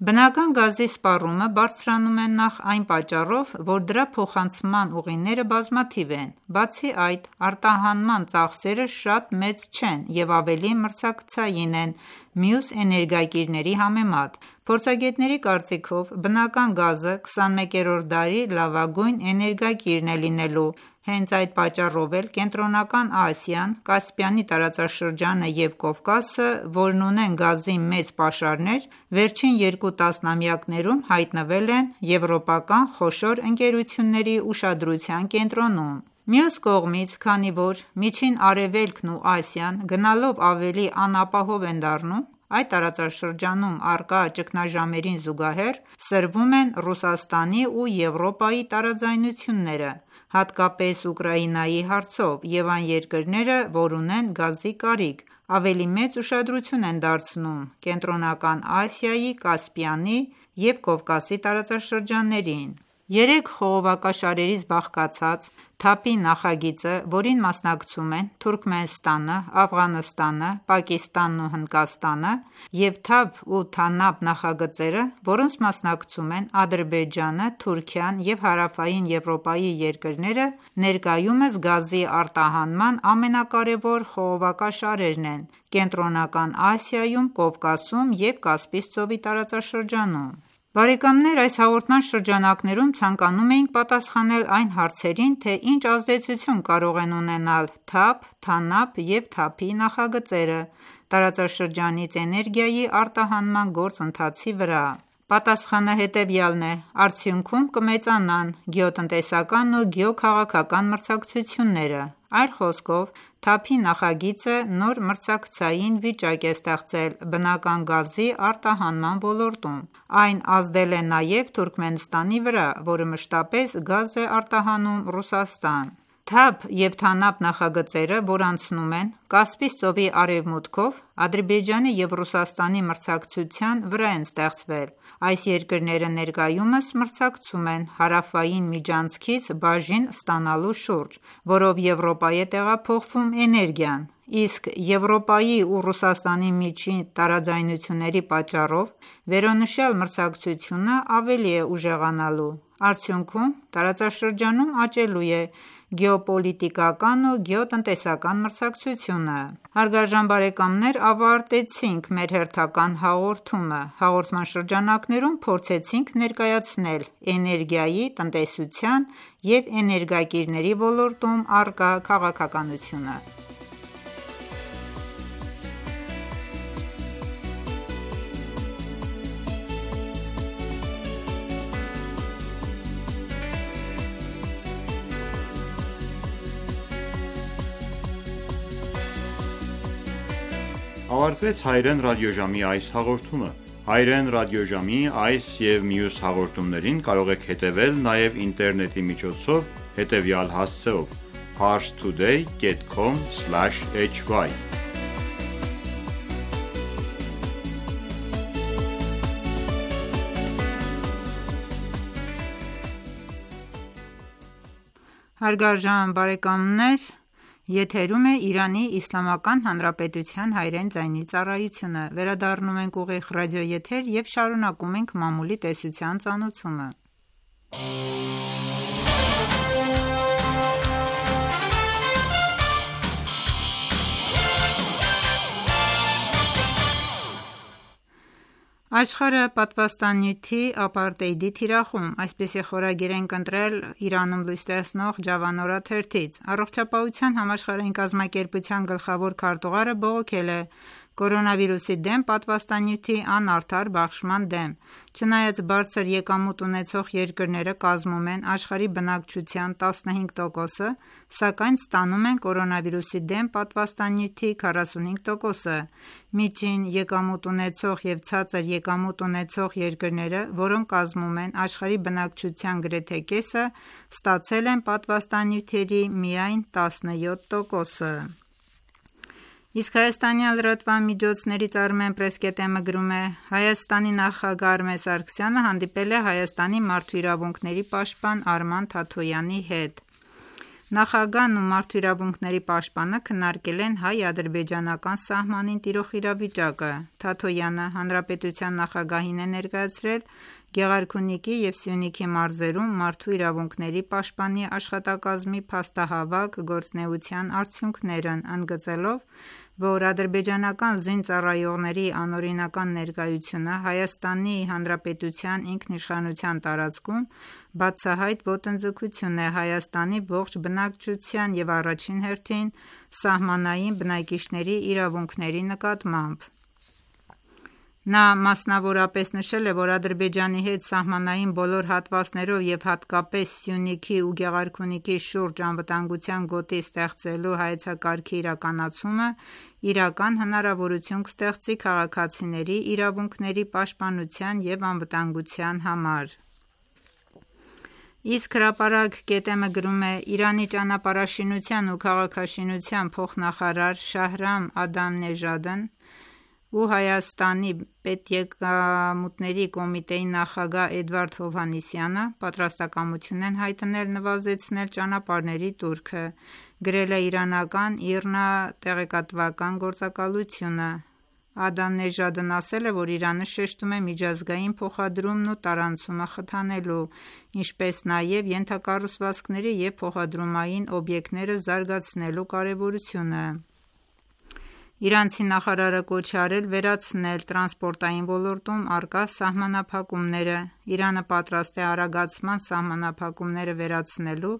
[SPEAKER 2] Բնական գազի սպառումը բարձրանում է նախ այն պատճառով, որ դրա փոխանցման ուղիները բազմաթիվ են, բացի այդ, արտահանման ծախսերը շատ մեծ չեն և ավելի մրցակցային են մյուս էներգակիրների համեմատ։ Փորձագետների կարծիքով, բնական գազը 21-րդ դարի լավագույն էներգակիրն է լինելու։ Հենց այդ պատճառով էլ Կենտրոնական Ասիան, Կասպիանի տարածաշրջանը և Կովկասը, որն ունեն գազի մեծ պաշարներ, վերջին 2 տասնամյակներում հայտնվել են եվրոպական խոշոր ընկերությունների ուշադրության կենտրոնում։ Մյուս կողմից, քանի որ Միջին Արևելքն ու Ասիան գնալով ավելի անապահով են դառնում, այդ տարածաշրջանում առկա ճգնաժամերին զուգահեռ սրվում են Ռուսաստանի ու Եվրոպայի տարաձայնությունները, հատկապես Ուկրաինայի հարցով, և այն երկրները, որ ունեն գազի կարիք, ավելի մեծ ուշադրություն են դարձնում Կենտրոնական Ասիայի, Կասպիանի և Կովկասի տարածաշրջաններին։ 3 խողովակաշարերից բաղկացած Թափի նախագիծը, որին մասնակցում են Թուրքմենստանը, Աֆղանստանը, Պակիստանն ու Հնդկաստանը, և Թափ ու TANAP նախագծերը, որոնց մասնակցում են Ադրբեջանը, Թուրքիան և Հարավային Եվրոպայի երկրները, ներկայումս գազի արտահանման ամենակարևոր խողովակաշարերն են Կենտրոնական Ասիայում, Կովկասում և Կասպից ծովի տարածաշրջանում։ Բարեկամներ, այս հաղորդման շրջանակներում ցանկանում էինք պատասխանել այն հարցերին, թե ինչ ազդեցություն կարող են ունենալ Թափ, TANAP և Թափի նախագծերը տարածաշրջանից էներգիայի արտահանման գործընթացի վրա։ Պատասխանը հետևյալն է. արդյունքում կմեծանան գեոտնտեսական ու գեոքաղաքական մրցակցությունները։ Այլ խոսքով, Թափի նախագիծը նոր մրցակցային վիճակ է ստեղծել բնական գազի արտահանման ոլորտում։ Այն ազդել է նաև Թուրքմենստանի վրա, որը մշտապես գազ է արտահանում Ռուսաստան։ Թափ և Թանաբ նախագծերը, որ անցնում են Կասպից ծովի արևմուտքով, Ադրբեջանի և Ռուսաստանի մրցակցության վրա են ստեղծվել։ Այս երկրները ներկայումս մրցակցում են հարավային միջանցքից բաժին ստանալու շուրջ, որով Եվրոպա է տեղափոխվում էներգիան, իսկ Եվրոպայի ու Ռուսաստանի միջին տարաձայնությունների պատճառով վերոնշյալ մրցակցությունը ավելի է ուժեղանալու։ Արդյունքում տարածաշրջանում աճելու է գեոպոլիտիկական ու գեոտնտեսական մրցակցությունը։ Հարգարժան բարեկամներ, ավարտեցինք մեր հերթական հաղորդումը։ Հաղորդման շրջանակներում փորձեցինք ներկայացնել էներգիայի, տնտեսության և էներգակիրների ոլորտում առկա քաղաքականությունը։
[SPEAKER 1] Ավարտվեց Հայրեն ռադիոժամի այս հաղորդումը։ Հայրեն ռադիոժամի այս և մյուս հաղորդումներին կարող եք հետևել նաև ինտերնետի միջոցով հետևյալ հասցեով՝ parstoday.com/hy
[SPEAKER 2] Հարգարժան բարեկամներ, եթերում է Իրանի Իսլամական Հանրապետության հայրեն ձայնի ծառայությունը։ Վերադառնում ենք ուղիղ ռադիոեթեր և շարունակում ենք մամուլի տեսության ծանոթումը։ Աշխարհը պատվաստանյութի ապարտեիդի թիրախում, այսպիսի խորագիր ենք ընտրել Իրանում լույս տեսնող Ջավանորա թերթից։ Առողջապահության համաշխարհային կազմակերպության գլխավոր քարտուղարը բողոքել է կորոնավիրուսի դեմ պատվաստանյութի անարդար բաշխման դեմ։ Չնայած բարձր եկամուտ ունեցող երկրները կազմում են աշխարհի բնակչության 15%-ը, սակայն ստանում են կորոնավիրուսի դեմ պատվաստանյութի 45%-ը։ Միջին եկամուտ ունեցող և ցածր եկամուտ ունեցող երկրները, որոնք կազմում են աշխարհի բնակչության գրեթե կեսը, ստացել են պատվաստանյութերի միայն 17%-ը։ Իսկ հայաստանյան լրատվամիջոցներից Armenpress.am-ը գրում է. Հայաստանի նախագահ Արմեն Սարգսյանը հանդիպել է Հայաստանի մարդու իրավունքների պաշտպան Արման Թաթոյանի հետ։ Նախագահն ու մարդու իրավունքների պաշտպանը քննարկել են հայ-ադրբեջանական սահմանին տիրող իրավիճակը։ Թաթոյանը հանրապետության նախագահին է ներկայացրել Գեղարքունիքի և Սյունիքի մարզերում մարդու իրավունքների պաշտպանի աշխատակազմի փաստահավաք գործունեության արդյունքներն, ընդգծելով, որ ադրբեջանական զինծառայողների անօրինական ներկայությունը Հայաստանի Հանրապետության ինքնիշխանության տարածքում բացահայտ ոտնձգություն է Հայաստանի ողջ բնակչության և առաջին հերթին սահմանային բնակիչների իրավունքների նկատմամբ։ Նա մասնավորապես նշել է, որ Ադրբեջանի հետ սահմանային բոլոր հատվածներով և հատկապես Սյունիքի ու Գեղարքունիքի շուրջ անվտանգության գոտի ստեղծելու հայեցակարգի իրականացումը իրական հնարավորություն կստեղծի քաղաքացիների իրավունքների պաշտպանության և անվտանգության համար։ Իսկ հրապարակ.am-ը գրում է. Իրանի ճանապարհաշինության ու քաղաքաշինության փոխնախարար Շահրամ Ադամնեժադն ու Հայաստանի պետեկամուտների կոմիտեի նախագահ Էդվարդ Հովհաննիսյանը պատրաստակամություն են հայտնել նվազեցնել ճանապարհների տուրքը, գրել է իրանական IRNA տեղեկատվական գործակալությունը։ Ադամնեժադն ասել է, որ Իրանը շեշտում է միջազգային փոխադրումն ու տարանցումը խթանելու, ինչպես նաև ենթակառուցվածքների և փոխադրումային օբյեկտները զարգացնելու կարևորությունը։ Իրանցի նախարարը կոչ է արել վերացնել տրանսպորտային ոլորտում առկա սահմանափակումները։ Իրանը պատրաստ է արագացման սահմանափակումները վերացնելու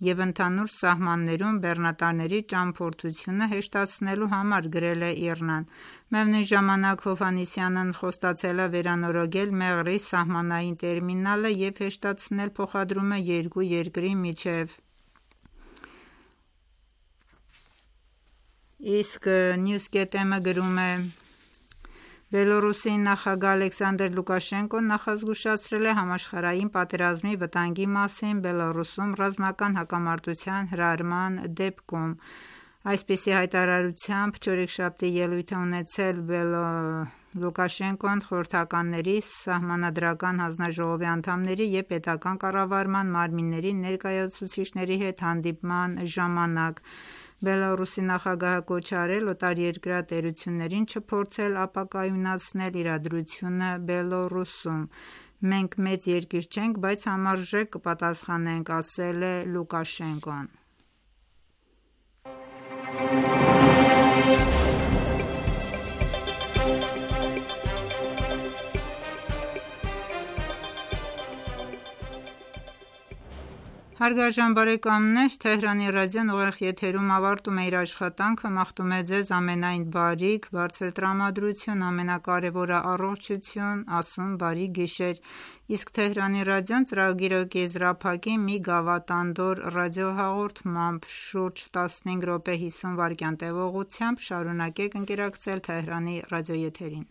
[SPEAKER 2] և ընդհանուր սահմաններում բեռնատարների ճամփորդությունը հեշտացնելու համար, գրել է IRNA-ն։ Միևնույն ժամանակ Հովհաննիսյանն խոստացել է վերանորոգել Մեղրի սահմանային տերմինալը և հեշտացնել փոխադրումը երկու երկրի միջև։ Իսկ News.am-ը գրում է. Բելորուսի նախագահ Ալեքսանդր Լուկաշենկոն նախազգուշացրել է համաշխարհային պատերազմի վտանգի մասին Բելորուսում ռազմական հակամարտության հրահրման դեպքում։ Այսպիսի հայտարարությամբ չորեքշաբթի ելույթ է ունեցել Լուկաշենկոն խորհրդականների, սահմանադրական հանձնաժողովի անդամների և պետական կառավարման մարմինների ներկայացուցիչների հետ հանդիպման ժամանակ։ Բելորուսի նախագահը կոչ է արել օտարերկրյա տերություններին չփորձել ապակայունացնել իրադրությունը Բելորուսում։ Մենք մեծ երկիր չենք, բայց համարժեք կպատասխանենք, ասել է Լուկաշենկոն։ Հարգարժան բարեկամներ, Թեհրանի ռադիոն ուղիղ եթերում ավարտում է իր աշխատանքը, մաղթում է ձեզ ամենայն բարիք, բարձր տրամադրություն, ամենակարևորը առողջություն, ասում բարի գիշեր, իսկ Թեհրանի ռադիոն ծրագիրը կեզրափակի մի գավաթ-անդոր ռադիոհաղորդմամբ շուրջ 15 րոպե 50 վայրկյան տևողությամբ, շարունակեք ընկերակցել Թեհրանի ռադիոեթերին։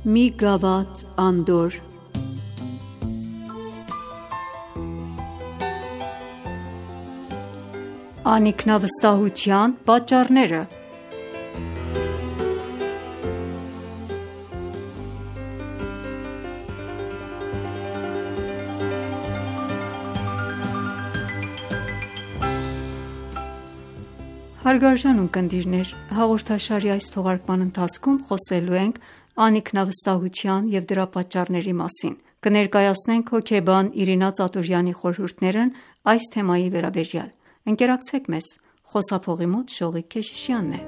[SPEAKER 10] Մի գավաթ-անդոր Անինքնավստահության պատճառները։ Հարգարժան ունկնդիրներ, հաղորդաշարի այս թողարկման ընթացքում խոսելու ենք անինքնավստահության և դրա պատճառների մասին։ Կներկայացնենք հոգեբան Իրինա Ծատուրյանի խորհուրդներն այս թեմայի վերաբերյալ։ Ընկերակցեք մեզ, խոսափողի մոտ Շողիկ Քեշիշյանն է։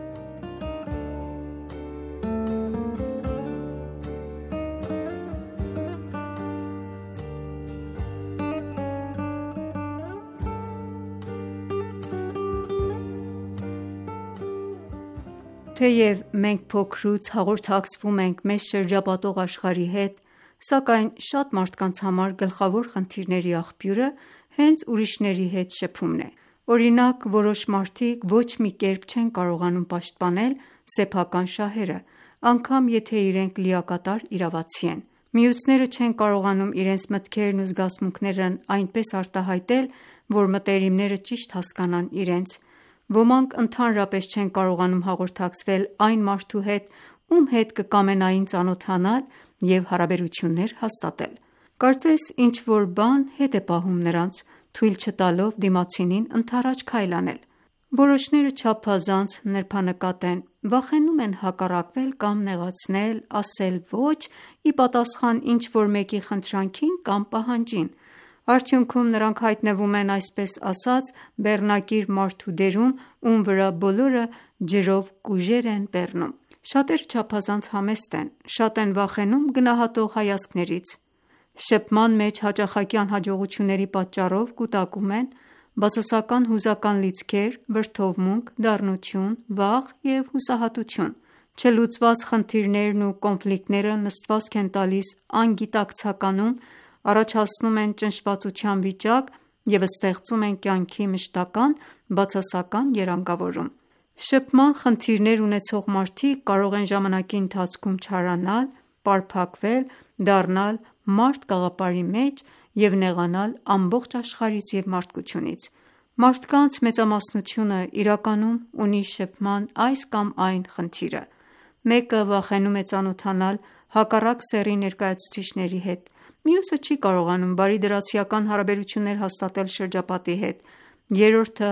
[SPEAKER 10] Թեև մենք փոքրուց հաղորդակցվում ենք մեզ շրջապատող աշխարհի հետ, սակայն շատ մարդկանց համար գլխավոր խնդիրների աղբյուրը հենց ուրիշների հետ շփումն է։ Օրինակ, որոշ մարդիկ ոչ մի կերպ չեն կարողանում պաշտպանել սեփական շահերը, անգամ եթե իրենք լիակատար իրավացի են։ Մյուսները չեն կարողանում իրենց մտքերն ու զգացմունքներն այնպես արտահայտել, որ մտերիմները ճիշտ հասկանան իրենց։ Ոմանք ընդհանրապես չեն կարողանում հաղորդակցվել այն մարդու հետ, ում հետ կկամենային ծանոթանալ և հարաբերություններ հաստատել։ Կարծես ինչ-որ բան հետ է պահում նրանց, թույլ չտալով դիմացինին ընդառաջ քայլ անել։ Որոշները չափազանց նրբանկատ են, վախենում են հակառակվել կամ նեղացնել, ասել ոչ ի պատասխան ինչ-որ մեկի խնդրանքին կամ պահանջին։ Արդյունքում նրանք հայտնվում են այսպես ասած բեռնակիր մարդու դերում, ում վրա բոլորը ջրով կուժեր են բեռնում։ Շատերը չափազանց համեստ են, շատ են վախենում գնահատող հայացքներից։ Շփման մեջ հաճախակի անհաջողությունների պատճառով կուտակում են բացասական հուզական լիցքեր, վրդովմունք, դառնություն, վախ և հուսահատություն։ Չլուծված խնդիրներն ու կոնֆլիկտները նստվածք են տալիս անգիտակցականում, առաջացնում են ճնշվածության վիճակ և ստեղծում են կյանքի մշտական բացասական երանգավորում։ Շփման խնդիրներ ունեցող մարդիկ կարող են ժամանակի ընթացքում չարանալ, պարփակվել, դառնալ մարդ կաղապարի մեջ և նեղանալ ամբողջ աշխարհից և մարդկությունից։ Մարդկանց մեծամասնությունը իրականում ունի շփման այս կամ այն խնդիրը։ Մեկը վախենում է ծանոթանալ հակառակ սեռի ներկայացուցիչների հետ, մյուսը չի կարողանում բարիդրացիական հարաբերություններ հաստատել շրջապատի հետ, երրորդը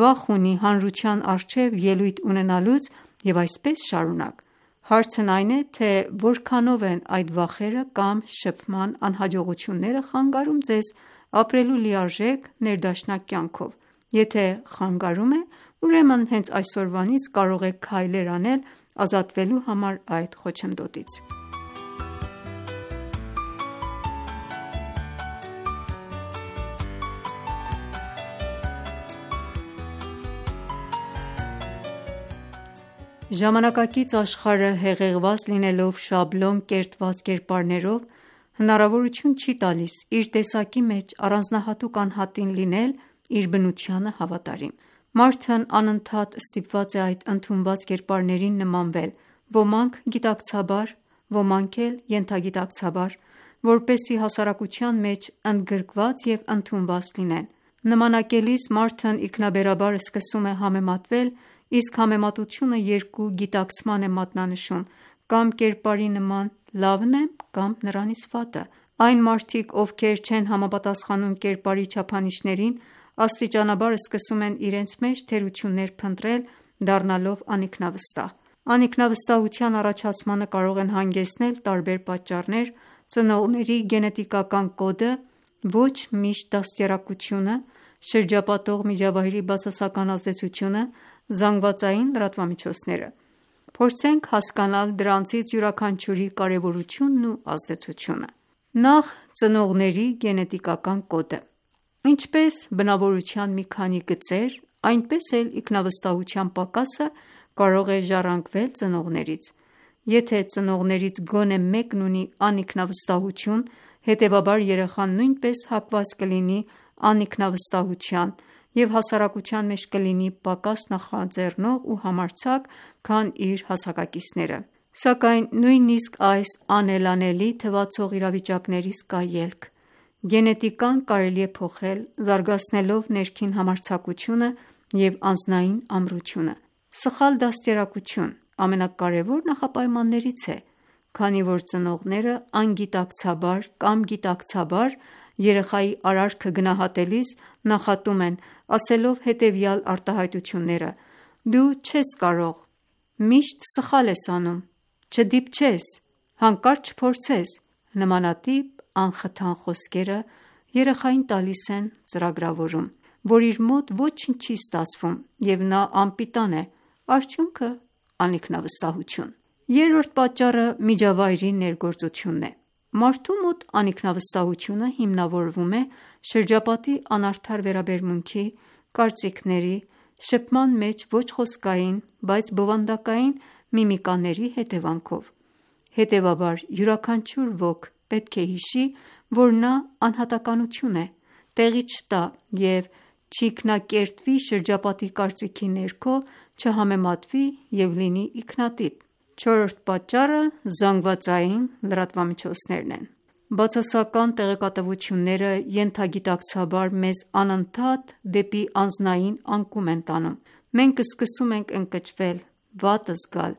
[SPEAKER 10] վախ ունի հանրության առջև ելույթ ունենալուց և այսպես շարունակ։ Հարցն այն է, թե որքանով են այդ վախերը կամ շփման անհաջողությունները խանգարում ձեզ ապրելու լիարժեք ներդաշնակ կյանքով։ Եթե խանգարում է, ուրեմն հենց այսօրվանից կարող եք քայլեր անել ազատվելու համար այդ խոչընդոտից։ Ժամանակակից աշխարհը հեղեղված լինելով շաբլոն կերտված կերպարներով, հնարավորություն չի տալիս իր տեսակի մեջ առանձնահատուկ անհատին լինել իր բնությանը հավատարիմ։ Մարդն անընդհատ ստիպված է այդ ընդունված կերպարներին նմանվել, ոմանք գիտակցաբար, ոմանք էլ ենթագիտակցաբար, որպեսզի հասարակության մեջ ընդգրկված և ընդունված լինեն։ Նմանակելիս մարդն ինքնաբերաբար սկսում է համեմատվել, իսկ համեմատությունը երկու գիտակցման է մատնանշում, կամ կերպարի նման լավն է, կամ նրանից վատը։ Այն մարդիկ, ովքեր չեն համապատասխանում կերպարի չափանիշներին, աստիճանաբար սկսում են իրենց մեջ թերություններ փնտրել, դառնալով անինքնավստահ։ Անինքնավստահության առաջացմանը կարող են հանգեցնել տարբեր պատճառներ՝ ծնողների գենետիկական կոդը, ոչ միշտ դաստիարակությունը, շրջապատող միջավայրի բացասական ազդեցությունը, զանգվածային լրատվամիջոցները։ Փորձենք հասկանալ դրանցից յուրաքանչյուրի կարևորությունն ու ազդեցությունը։ Նախ ծնողների գենետիկական կոդը։ Ինչպես բնավորության մի քանի գծեր, այնպես էլ ինքնավստահության պակասը կարող է ժառանգվել ծնողներից։ Եթե ծնողներից գոնե մեկն ունի անինքնավստահություն, հետևաբար երեխան նույնպես հակված կլինի անինքնավստահության և հասարակության մեջ կլինի պակաս նախաձեռնող ու համարձակ, քան իր հասակակիցները։ Սակայն նույնիսկ այս անելանելի թվացող իրավիճակներից կա ելք։ Գենետիկան կարելի է փոխել՝ զարգացնելով ներքին համարձակությունը և անձնային ամրությունը։ Սխալ դաստիարակություն ամենակարևոր նախապայմաններից է, քանի որ ծնողները անգիտակցաբար կամ գիտակցաբար երեխայի արարքը գնահատելիս նախատում են, ասելով հետևյալ արտահայտությունները. «Դու չես կարող», «Միշտ սխալ ես անում», «Չդիպչես», «Հանկարծ չփորձես»։ Նմանատիպ անխթան խոսքերը երեխային տալիս են ծրագրավորում, որ իր մոտ ոչինչ չի ստացվում և նա անպիտան է, արդյունքը՝ անինքնավստահություն։ Երրորդ պատճառը միջավայրի ներգործությունն է։ Մարդու մոտ անինքնավստահությունը հիմնավորվում է շրջապատի անարդար վերաբերմունքի, կարծիքների, շփման մեջ ոչ խոսքային, բայց բովանդակային միմիկաների հետևանքով։ Հետևաբար յուրաքանչյուր ոք պետք է հիշի, որ նա անհատականություն է, տեղի չտա և չինքնակերտվի շրջապատի կարծիքի ներքո, չհամեմատվի և լինի ինքնատիպ։ Չորրորդ պատճառը զանգվածային լրատվամիջոցներն են։ Բացասական տեղեկատվությունները ենթագիտակցաբար մեզ անընդհատ դեպի անձնային անկում են տանում։ Մենք սկսում ենք ընկճվել, վատ զգալ,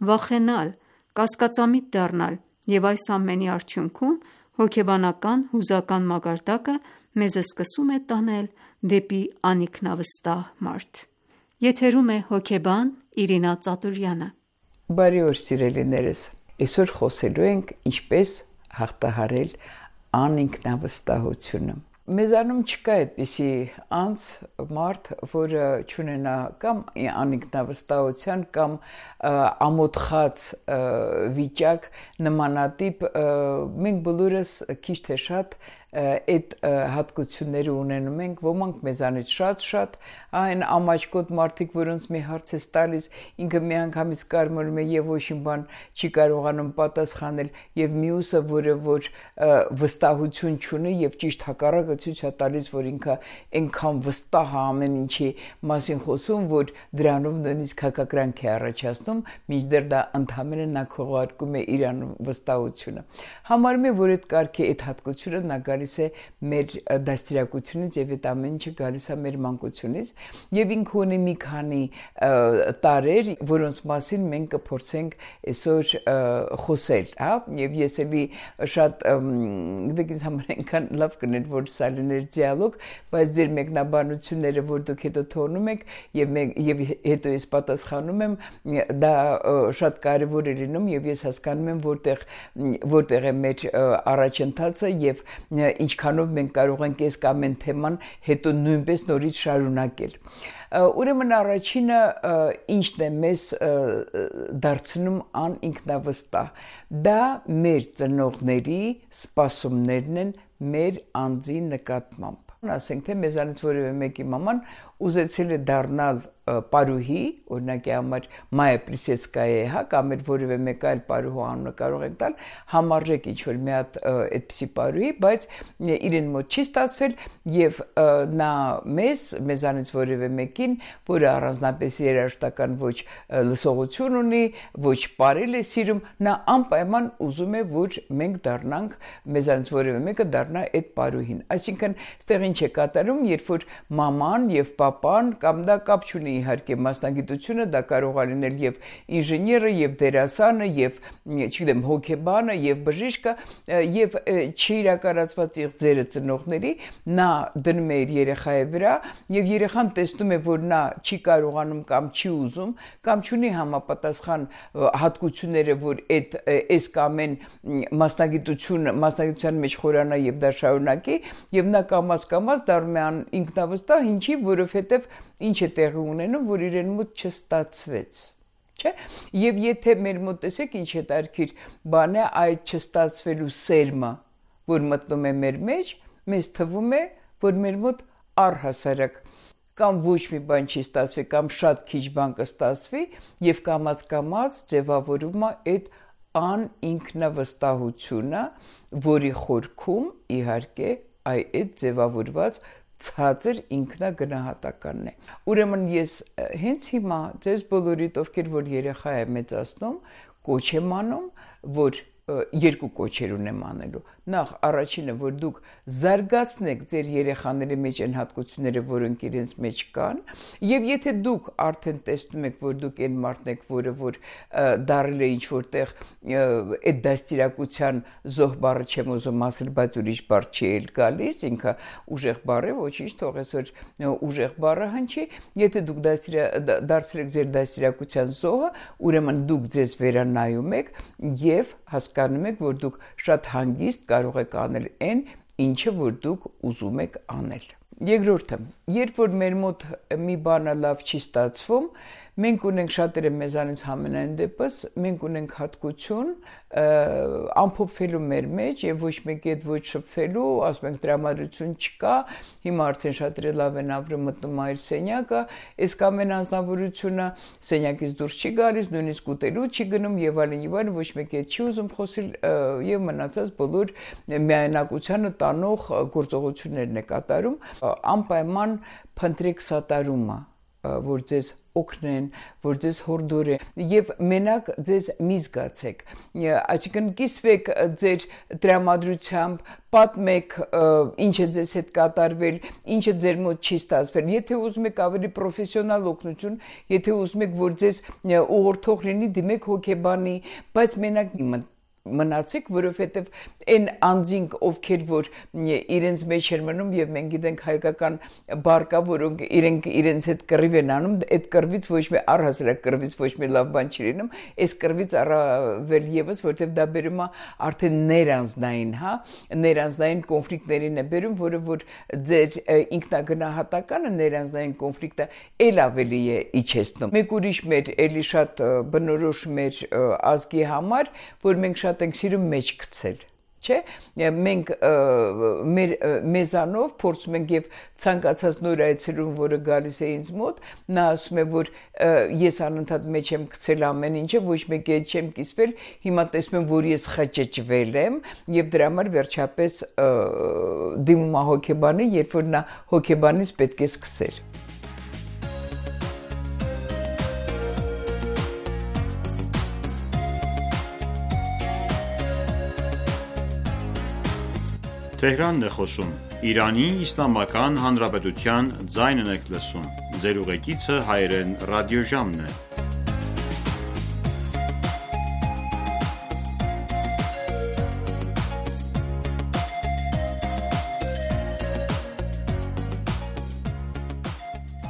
[SPEAKER 10] վախենալ, կասկածամիտ դառնալ, և այս ամենի արդյունքում հոգեբանական հուզական մակարդակը մեզ սկսում է տանել դեպի անինքնավստահ մարդ։ Եթերում է հոգեբան Իրինա Ծատուրյանը։
[SPEAKER 11] Բարի օր սիրելիներս, այսօր խոսելու ենք ինչպես հաղթահարել անինքնավստահությունը։ Մեզանում չկա այդպիսի անձ, մարդ, որը չունենա կամ անինքնավստահության կամ ամոթխած վիճակ նմանատիպ, մենք բոլորս քիչ թե շատ այդ հատկությունները ունենում ենք, ոմանք մեզանից շատ, այն ամաչկոտ մարդիկ, որոնց մի հարց ես տալիս, ինքը միանգամից կարմրում է և ոչինչ բան չի կարողանում պատասխանել, և մյուսը, որը որ վստահություն չունի և ճիշտ հակառակը ցույց է տալիս, որ ինքը այնքան վստահ է ամեն ինչի մասին խոսում, որ դրանով նույնիսկ հակակրանք է առաջացնում, մինչդեռ դա ընդհանրապես նա քողարկում է իր վստահությունը։ Համարում եմ, որ այդ կարգի այդ հատկությունը նա գալիս է մեր դաստիարակությունից և այդ ամեն ինչը գալիս է մեր մանկությունից, և ինքը ունի մի քանի տարրեր, որոնց մասին մենք կփորձենք այսօր խոսել, և ես էլի շատ ինձ համար այնքան լավ կներ, որ սա լիներ դիալոգ, բայց ձեր մեկնաբանությունները, որ դուք հետո թողնում եք և հետո ես պատասխանում եմ, դա շատ կարևոր է լինում, և ես հասկանում եմ որտեղ է մեր առաջընթացը և ինչքանով մենք կարող ենք այս կամ այն թեման հետո նույնպես նորից շարունակել։ Ուրեմն առաջինը ինչն է մեզ դարձնում անինքնավստահ, դա մեր ծնողների սպասումներն են մեր անձի նկատմամբ։ Ասենք թե մեզանից որևէ մեկի մաման ուզեցել է դառնալ պարուհի, օրինակի համար Մայա Պլիսեցկայա, կամ որևէ մեկ այլ պարուհու անունը կարող եք տալ, համարժեք ինչ-որ մի հատ այդպիսի պարուհի, բայց իրեն մոտ չի ստացվել եւ նա մեզանից որևէ մեկին, որը առանձնապես երաժշտական ոչ լսողություն ունի, ոչ պարել է սիրում, նա անպայման ուզում է, որ մենք դառնանք, մեզանից որևէ մեկը դառնա այդ պարուհին։ Այսինքն, այստեղ ինչ է կատարում, երբ որ մաման եւ պապան կամ դա կապ չունի իհարկե մասնագիտությունը, դա կարող է լինել եւ ինժեները, եւ դերասանը, եւ չգիտեմ հոգեբանը, եւ բժիշկը, եւ չիրականացված իղձերը ծնողների, նա դնում է իր երեխայի վրա եւ երեխան տեսնում է, որ նա չի կարողանում կամ չի ուզում կամ չունի համապատասխան հատկությունները, որ այս կամ այն մասնագիտության մեջ խորանա եւ դա շարունակի, եւ նա կամաց դառնում է ինքնավստահ, ինչի, որովհետեւ ինչ է տեղի ունենում, որ իրեն մոտ չստացվեց, չէ՞։ Եվ եթե մեր մոտ տեսեք ինչ հետարքիր բան է այդ չստացվելու սերմը, որ մտնում է մեր մեջ, մեզ թվում է, որ մեր մոտ առհասարակ կամ ոչ մի բան չի ստացվի, կամ շատ քիչ բան կստացվի, եւ կամաց ձևավորում է այդ անինքնավստահությունը, որի խորքում իհարկե այդ ձևավորված ցածր ինքնագնահատականն է։ Ուրեմն ես հենց հիմա ձեզ բոլորիդ, ովքեր որ երեխա է մեծացնում, կոչ եմ անում, որ երկու կոչեր ունեմ անելու։ Նախ առաջինը, որ դուք զարգացնեք ձեր երեխաների մեջ այն հատկությունները, որոնք իրենց մեջ կան, եւ եթե դուք արդեն տեսնում եք, որ դուք այն մարդն եք, որը որ դարել է ինչ որտեղ այդ դաստիարակության զոհ բառը չեմ ուզում ասել, բայց ուրիշ բառ չի էլ գալիս, ինքը ուժեղ բառ է, ոչինչ, թողես որ ուժեղ բառը հնչի, եթե դուք դարձել եք ձեր դաստիարակության զոհը, ուրեմն դուք ձեզ վերանայում եք եւ հասկանում եք, որ դուք շատ հանգիստ կարող եք անել այն, ինչը որ դուք ուզում եք անել։ Երկրորդը, երբ որ մեր մոտ մի բանը լավ չի ստացվում, մենք ունենք շատերը մեզանից համենայն դեպս, մենք ունենք հատկություն ամփոփվելու մեր մեջ եւ ոչ մեկի հետ ոչ շփվելու, ասում ենք տրամադրություն չկա, հիմա արդեն շատերը լավ են ապրում, մտնում այլ սենյակը, այս կամ այն անznավորությունը սենյակից դուրս չի գալիս, նույնիսկ ուտելու չի գնում եւ այլն, ոչ մեկի հետ չի ուզում խոսել եւ մնացած բոլոր միայնակությանը տանող գործողություններն է կատարում, անպայման փնտրեք սատարումը, որ ձեզ օգնեն, որ ձեզ հորդորեն եւ մենակ ձեզ մի զգացեք, այսինքն կիսվեք ձեր տրամադրությամբ, պատմեք ինչ է ձեզ հետ կատարվել, ինչը ձեր մոտ չի ստացվել, եթե ուզում եք ավելի պրոֆեսիոնալ օգնություն, եթե ուզում եք որ ձեզ ուղղորդող լինի, դիմեք հոգեբանի, բայց մենակ մնացեք, որովհետև այն անձինք, ովքեր որ իրենց մեջ են մնում եւ մենք գիտենք հայկական բառ կա, որոնք իրենց հետ կռիվ են անում, այդ կռվից ոչ մի առհասարակ կռվից ոչ մի լավ բան չի լինում, այս կռվից առավել եւս, որովհետև դա բերում է արդեն ներանձնային, ներանձնային կոնֆլիկտներին է բերում, որը որ ձեր ինքնագնահատականը ներանձնային կոնֆլիկտը ել ավելի է իջեցնում։ Մեկ ուրիշ մեր էլի շատ բնորոշ մեր ազգի համար, որ մենք շատ ենք սիրում մեջ գցել, չէ՞։ Մենք մեզանով փորձում ենք եւ ցանկացած նոր այցելուն, որը գալիս է ինձ մոտ, նա ասում է, որ ես անընդհատ մեջ եմ գցել ամեն ինչը, ոչ մեկի հետ չեմ կիսվել, հիմա տեսնում եմ, որ ես խճճվել եմ եւ դրա համար վերջապես դիմում է հոգեբանի, երբ որ նա հոգեբանից պետք է սկսել։
[SPEAKER 1] Tehranն է խոսում, Իրանի Իսլամական Հանրապետության ձայնն եք լսում, ձեր ուղեկիցը հայրեն ռադիոժամն է։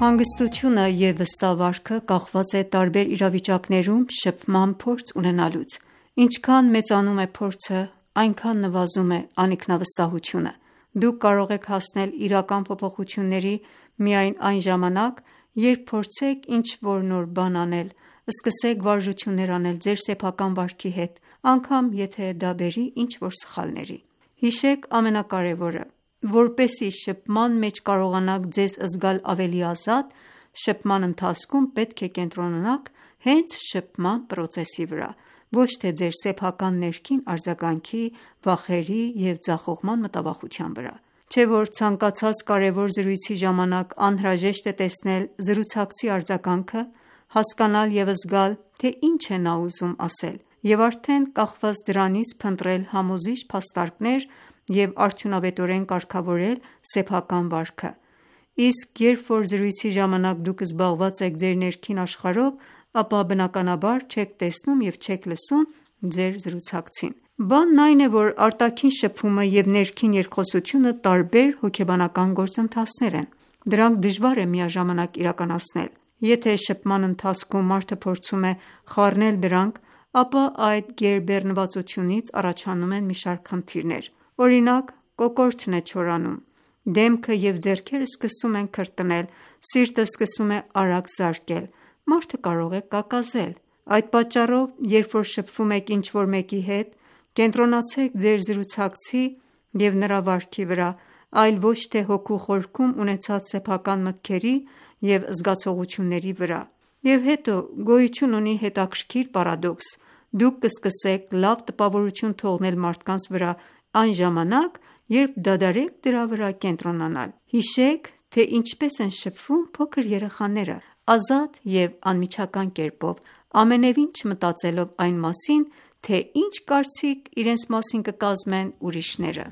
[SPEAKER 10] Հանգստությունը և վստահվարքը կախված է տարբեր իրավիճակներում շփման փորձ ունենալուց։ Ինչքան մեծանում է փորձը, այնքան նվազում է անինքնավստահությունը։ Դուք կարող եք հասնել իրական փոփոխությունների միայն այն ժամանակ, երբ փորձեք ինչ-որ նոր բան անել, սկսեք վարժություններ անել ձեր սեփական վարքի հետ, անգամ եթե դա բերի ինչ-որ սխալների։ Հիշեք ամենակարևորը, որպեսզի շփման մեջ կարողանաք ձեզ զգալ ավելի ազատ, շփման ընթացքում պետք է կենտրոնանաք հենց շփման պրոցեսի վրա, ոչ թե ձեր սեփական ներքին արձագանքի, վախերի և ձախողման մտավախության վրա: Չէ՞ որ ցանկացած կարևոր զրույցի ժամանակ անհրաժեշտ է տեսնել զրուցակցի արձագանքը, հասկանալ և զգալ, թե ինչ է նա ուզում ասել և արդեն կախված դրանից փնտրել համոզիչ փաստարկներ և արդյունավետորեն կարգավորել սեփական վարքը: Իսկ երբ որ զրույցի ժամանակ դուք զբաղված եք ձեր ներքին աշխարհով, ապա բնականաբար չեք տեսնում և չեք լսում ձեր զրուցակցին: Բանն այն է, որ արտաքին շփումը և ներքին երկխոսությունը տարբեր հոգեբանական գործընթացներ են: Դրանք դժվար է միաժամանակ իրականացնել: Եթե շփման ընթացքում մարդը փորձում է խառնել դրանք, ապա այդ գերբեռնվածությունից առաջանում են մի շարք խնդիրներ: Օրինակ, կոկորդն է չորանում, դեմքը և ձեռքերը սկսում են քրտնել, սիրտը սկսում է արագ զարկել, մարդը կարող է կակազել: Այդ պատճառով, երբ որ շփվում եք ինչ-որ մեկի հետ, կենտրոնացեք ձեր զրուցակցի և նրա վարքի վրա, այլ ոչ թե հոգու խորքում ունեցած սեփական մտքերի և զգացողությունների վրա: Եվ հետո գոյություն ունի հետաքրքիր պարադոքս. դուք կսկսեք լավ տպավորություն թողնել մարդկանց վրա այն ժամանակ, երբ դադարեք դրա վրա կենտրոնանալ: Հիշեք, թե ինչպես են շփվում փոքր երեխաները՝ ազատ և անմիջական կերպով, ամենևին չմտածելով այն մասին, թե ինչ կարծիք իրենց մասին կկազմեն ուրիշները: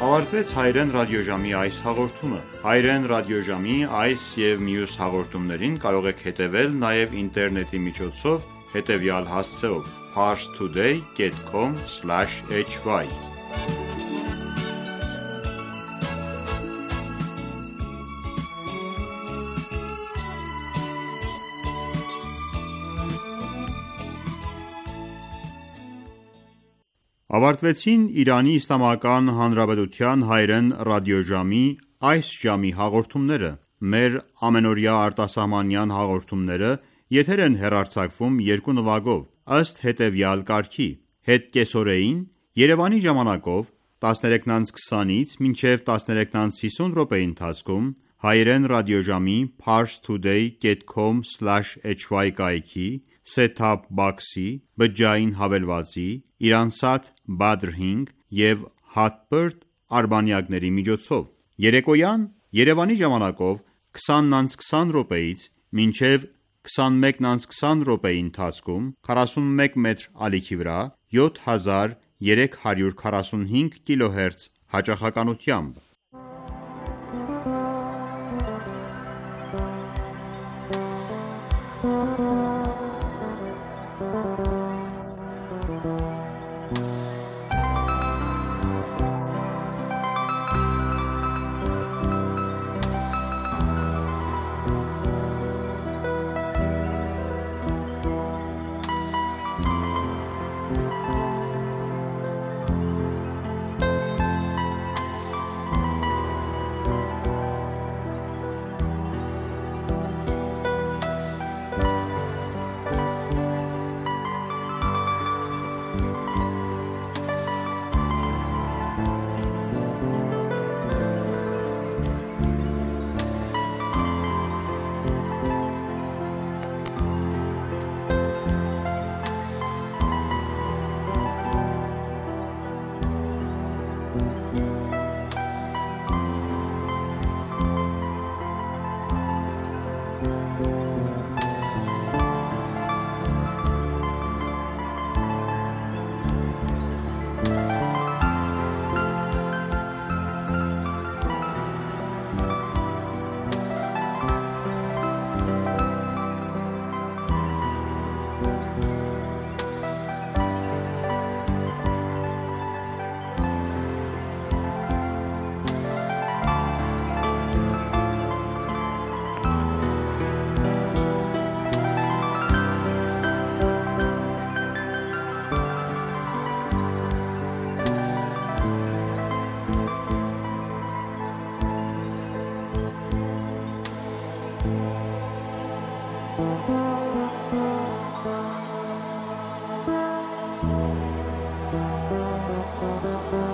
[SPEAKER 1] Ավարտվեց հայրեն ռադիոժամի այս հաղորդումը: Հայրեն ռադիոժամի այս և մյուս հաղորդումներին կարող եք հետևել նաև ինտերնետի միջոցով հետևյալ հասցեով՝ parstoday.com/hy Ավարտվեցին Իրանի Իսլամական Հանրապետության հայրեն ռադիոժամի այս ժամի հաղորդումները: Մեր ամենօրյա արտասահմանյան հաղորդումները եթեր են հեռարձակվում երկու նվագով, ըստ հետևյալ կարգի՝ հետ կեսօրեին Երևանի ժամանակով 13:20-ից մինչև 13:50 րոպեի ընթացքում հայրեն ռադիոժամի parstoday.com/hy կայքի, set-top box-ի, բջջային հավելվածի, Iransat Badr 5 և Hotbird արբանյակների միջոցով: Երեկոյան Երևանի ժամանակով 20:20 րոպեից մինչև 21:20 րոպեի ընթացքում 41 մետր ալիքի վրա 7345 կիլոհերց հաճախականությամբ:
[SPEAKER 12] Thank you.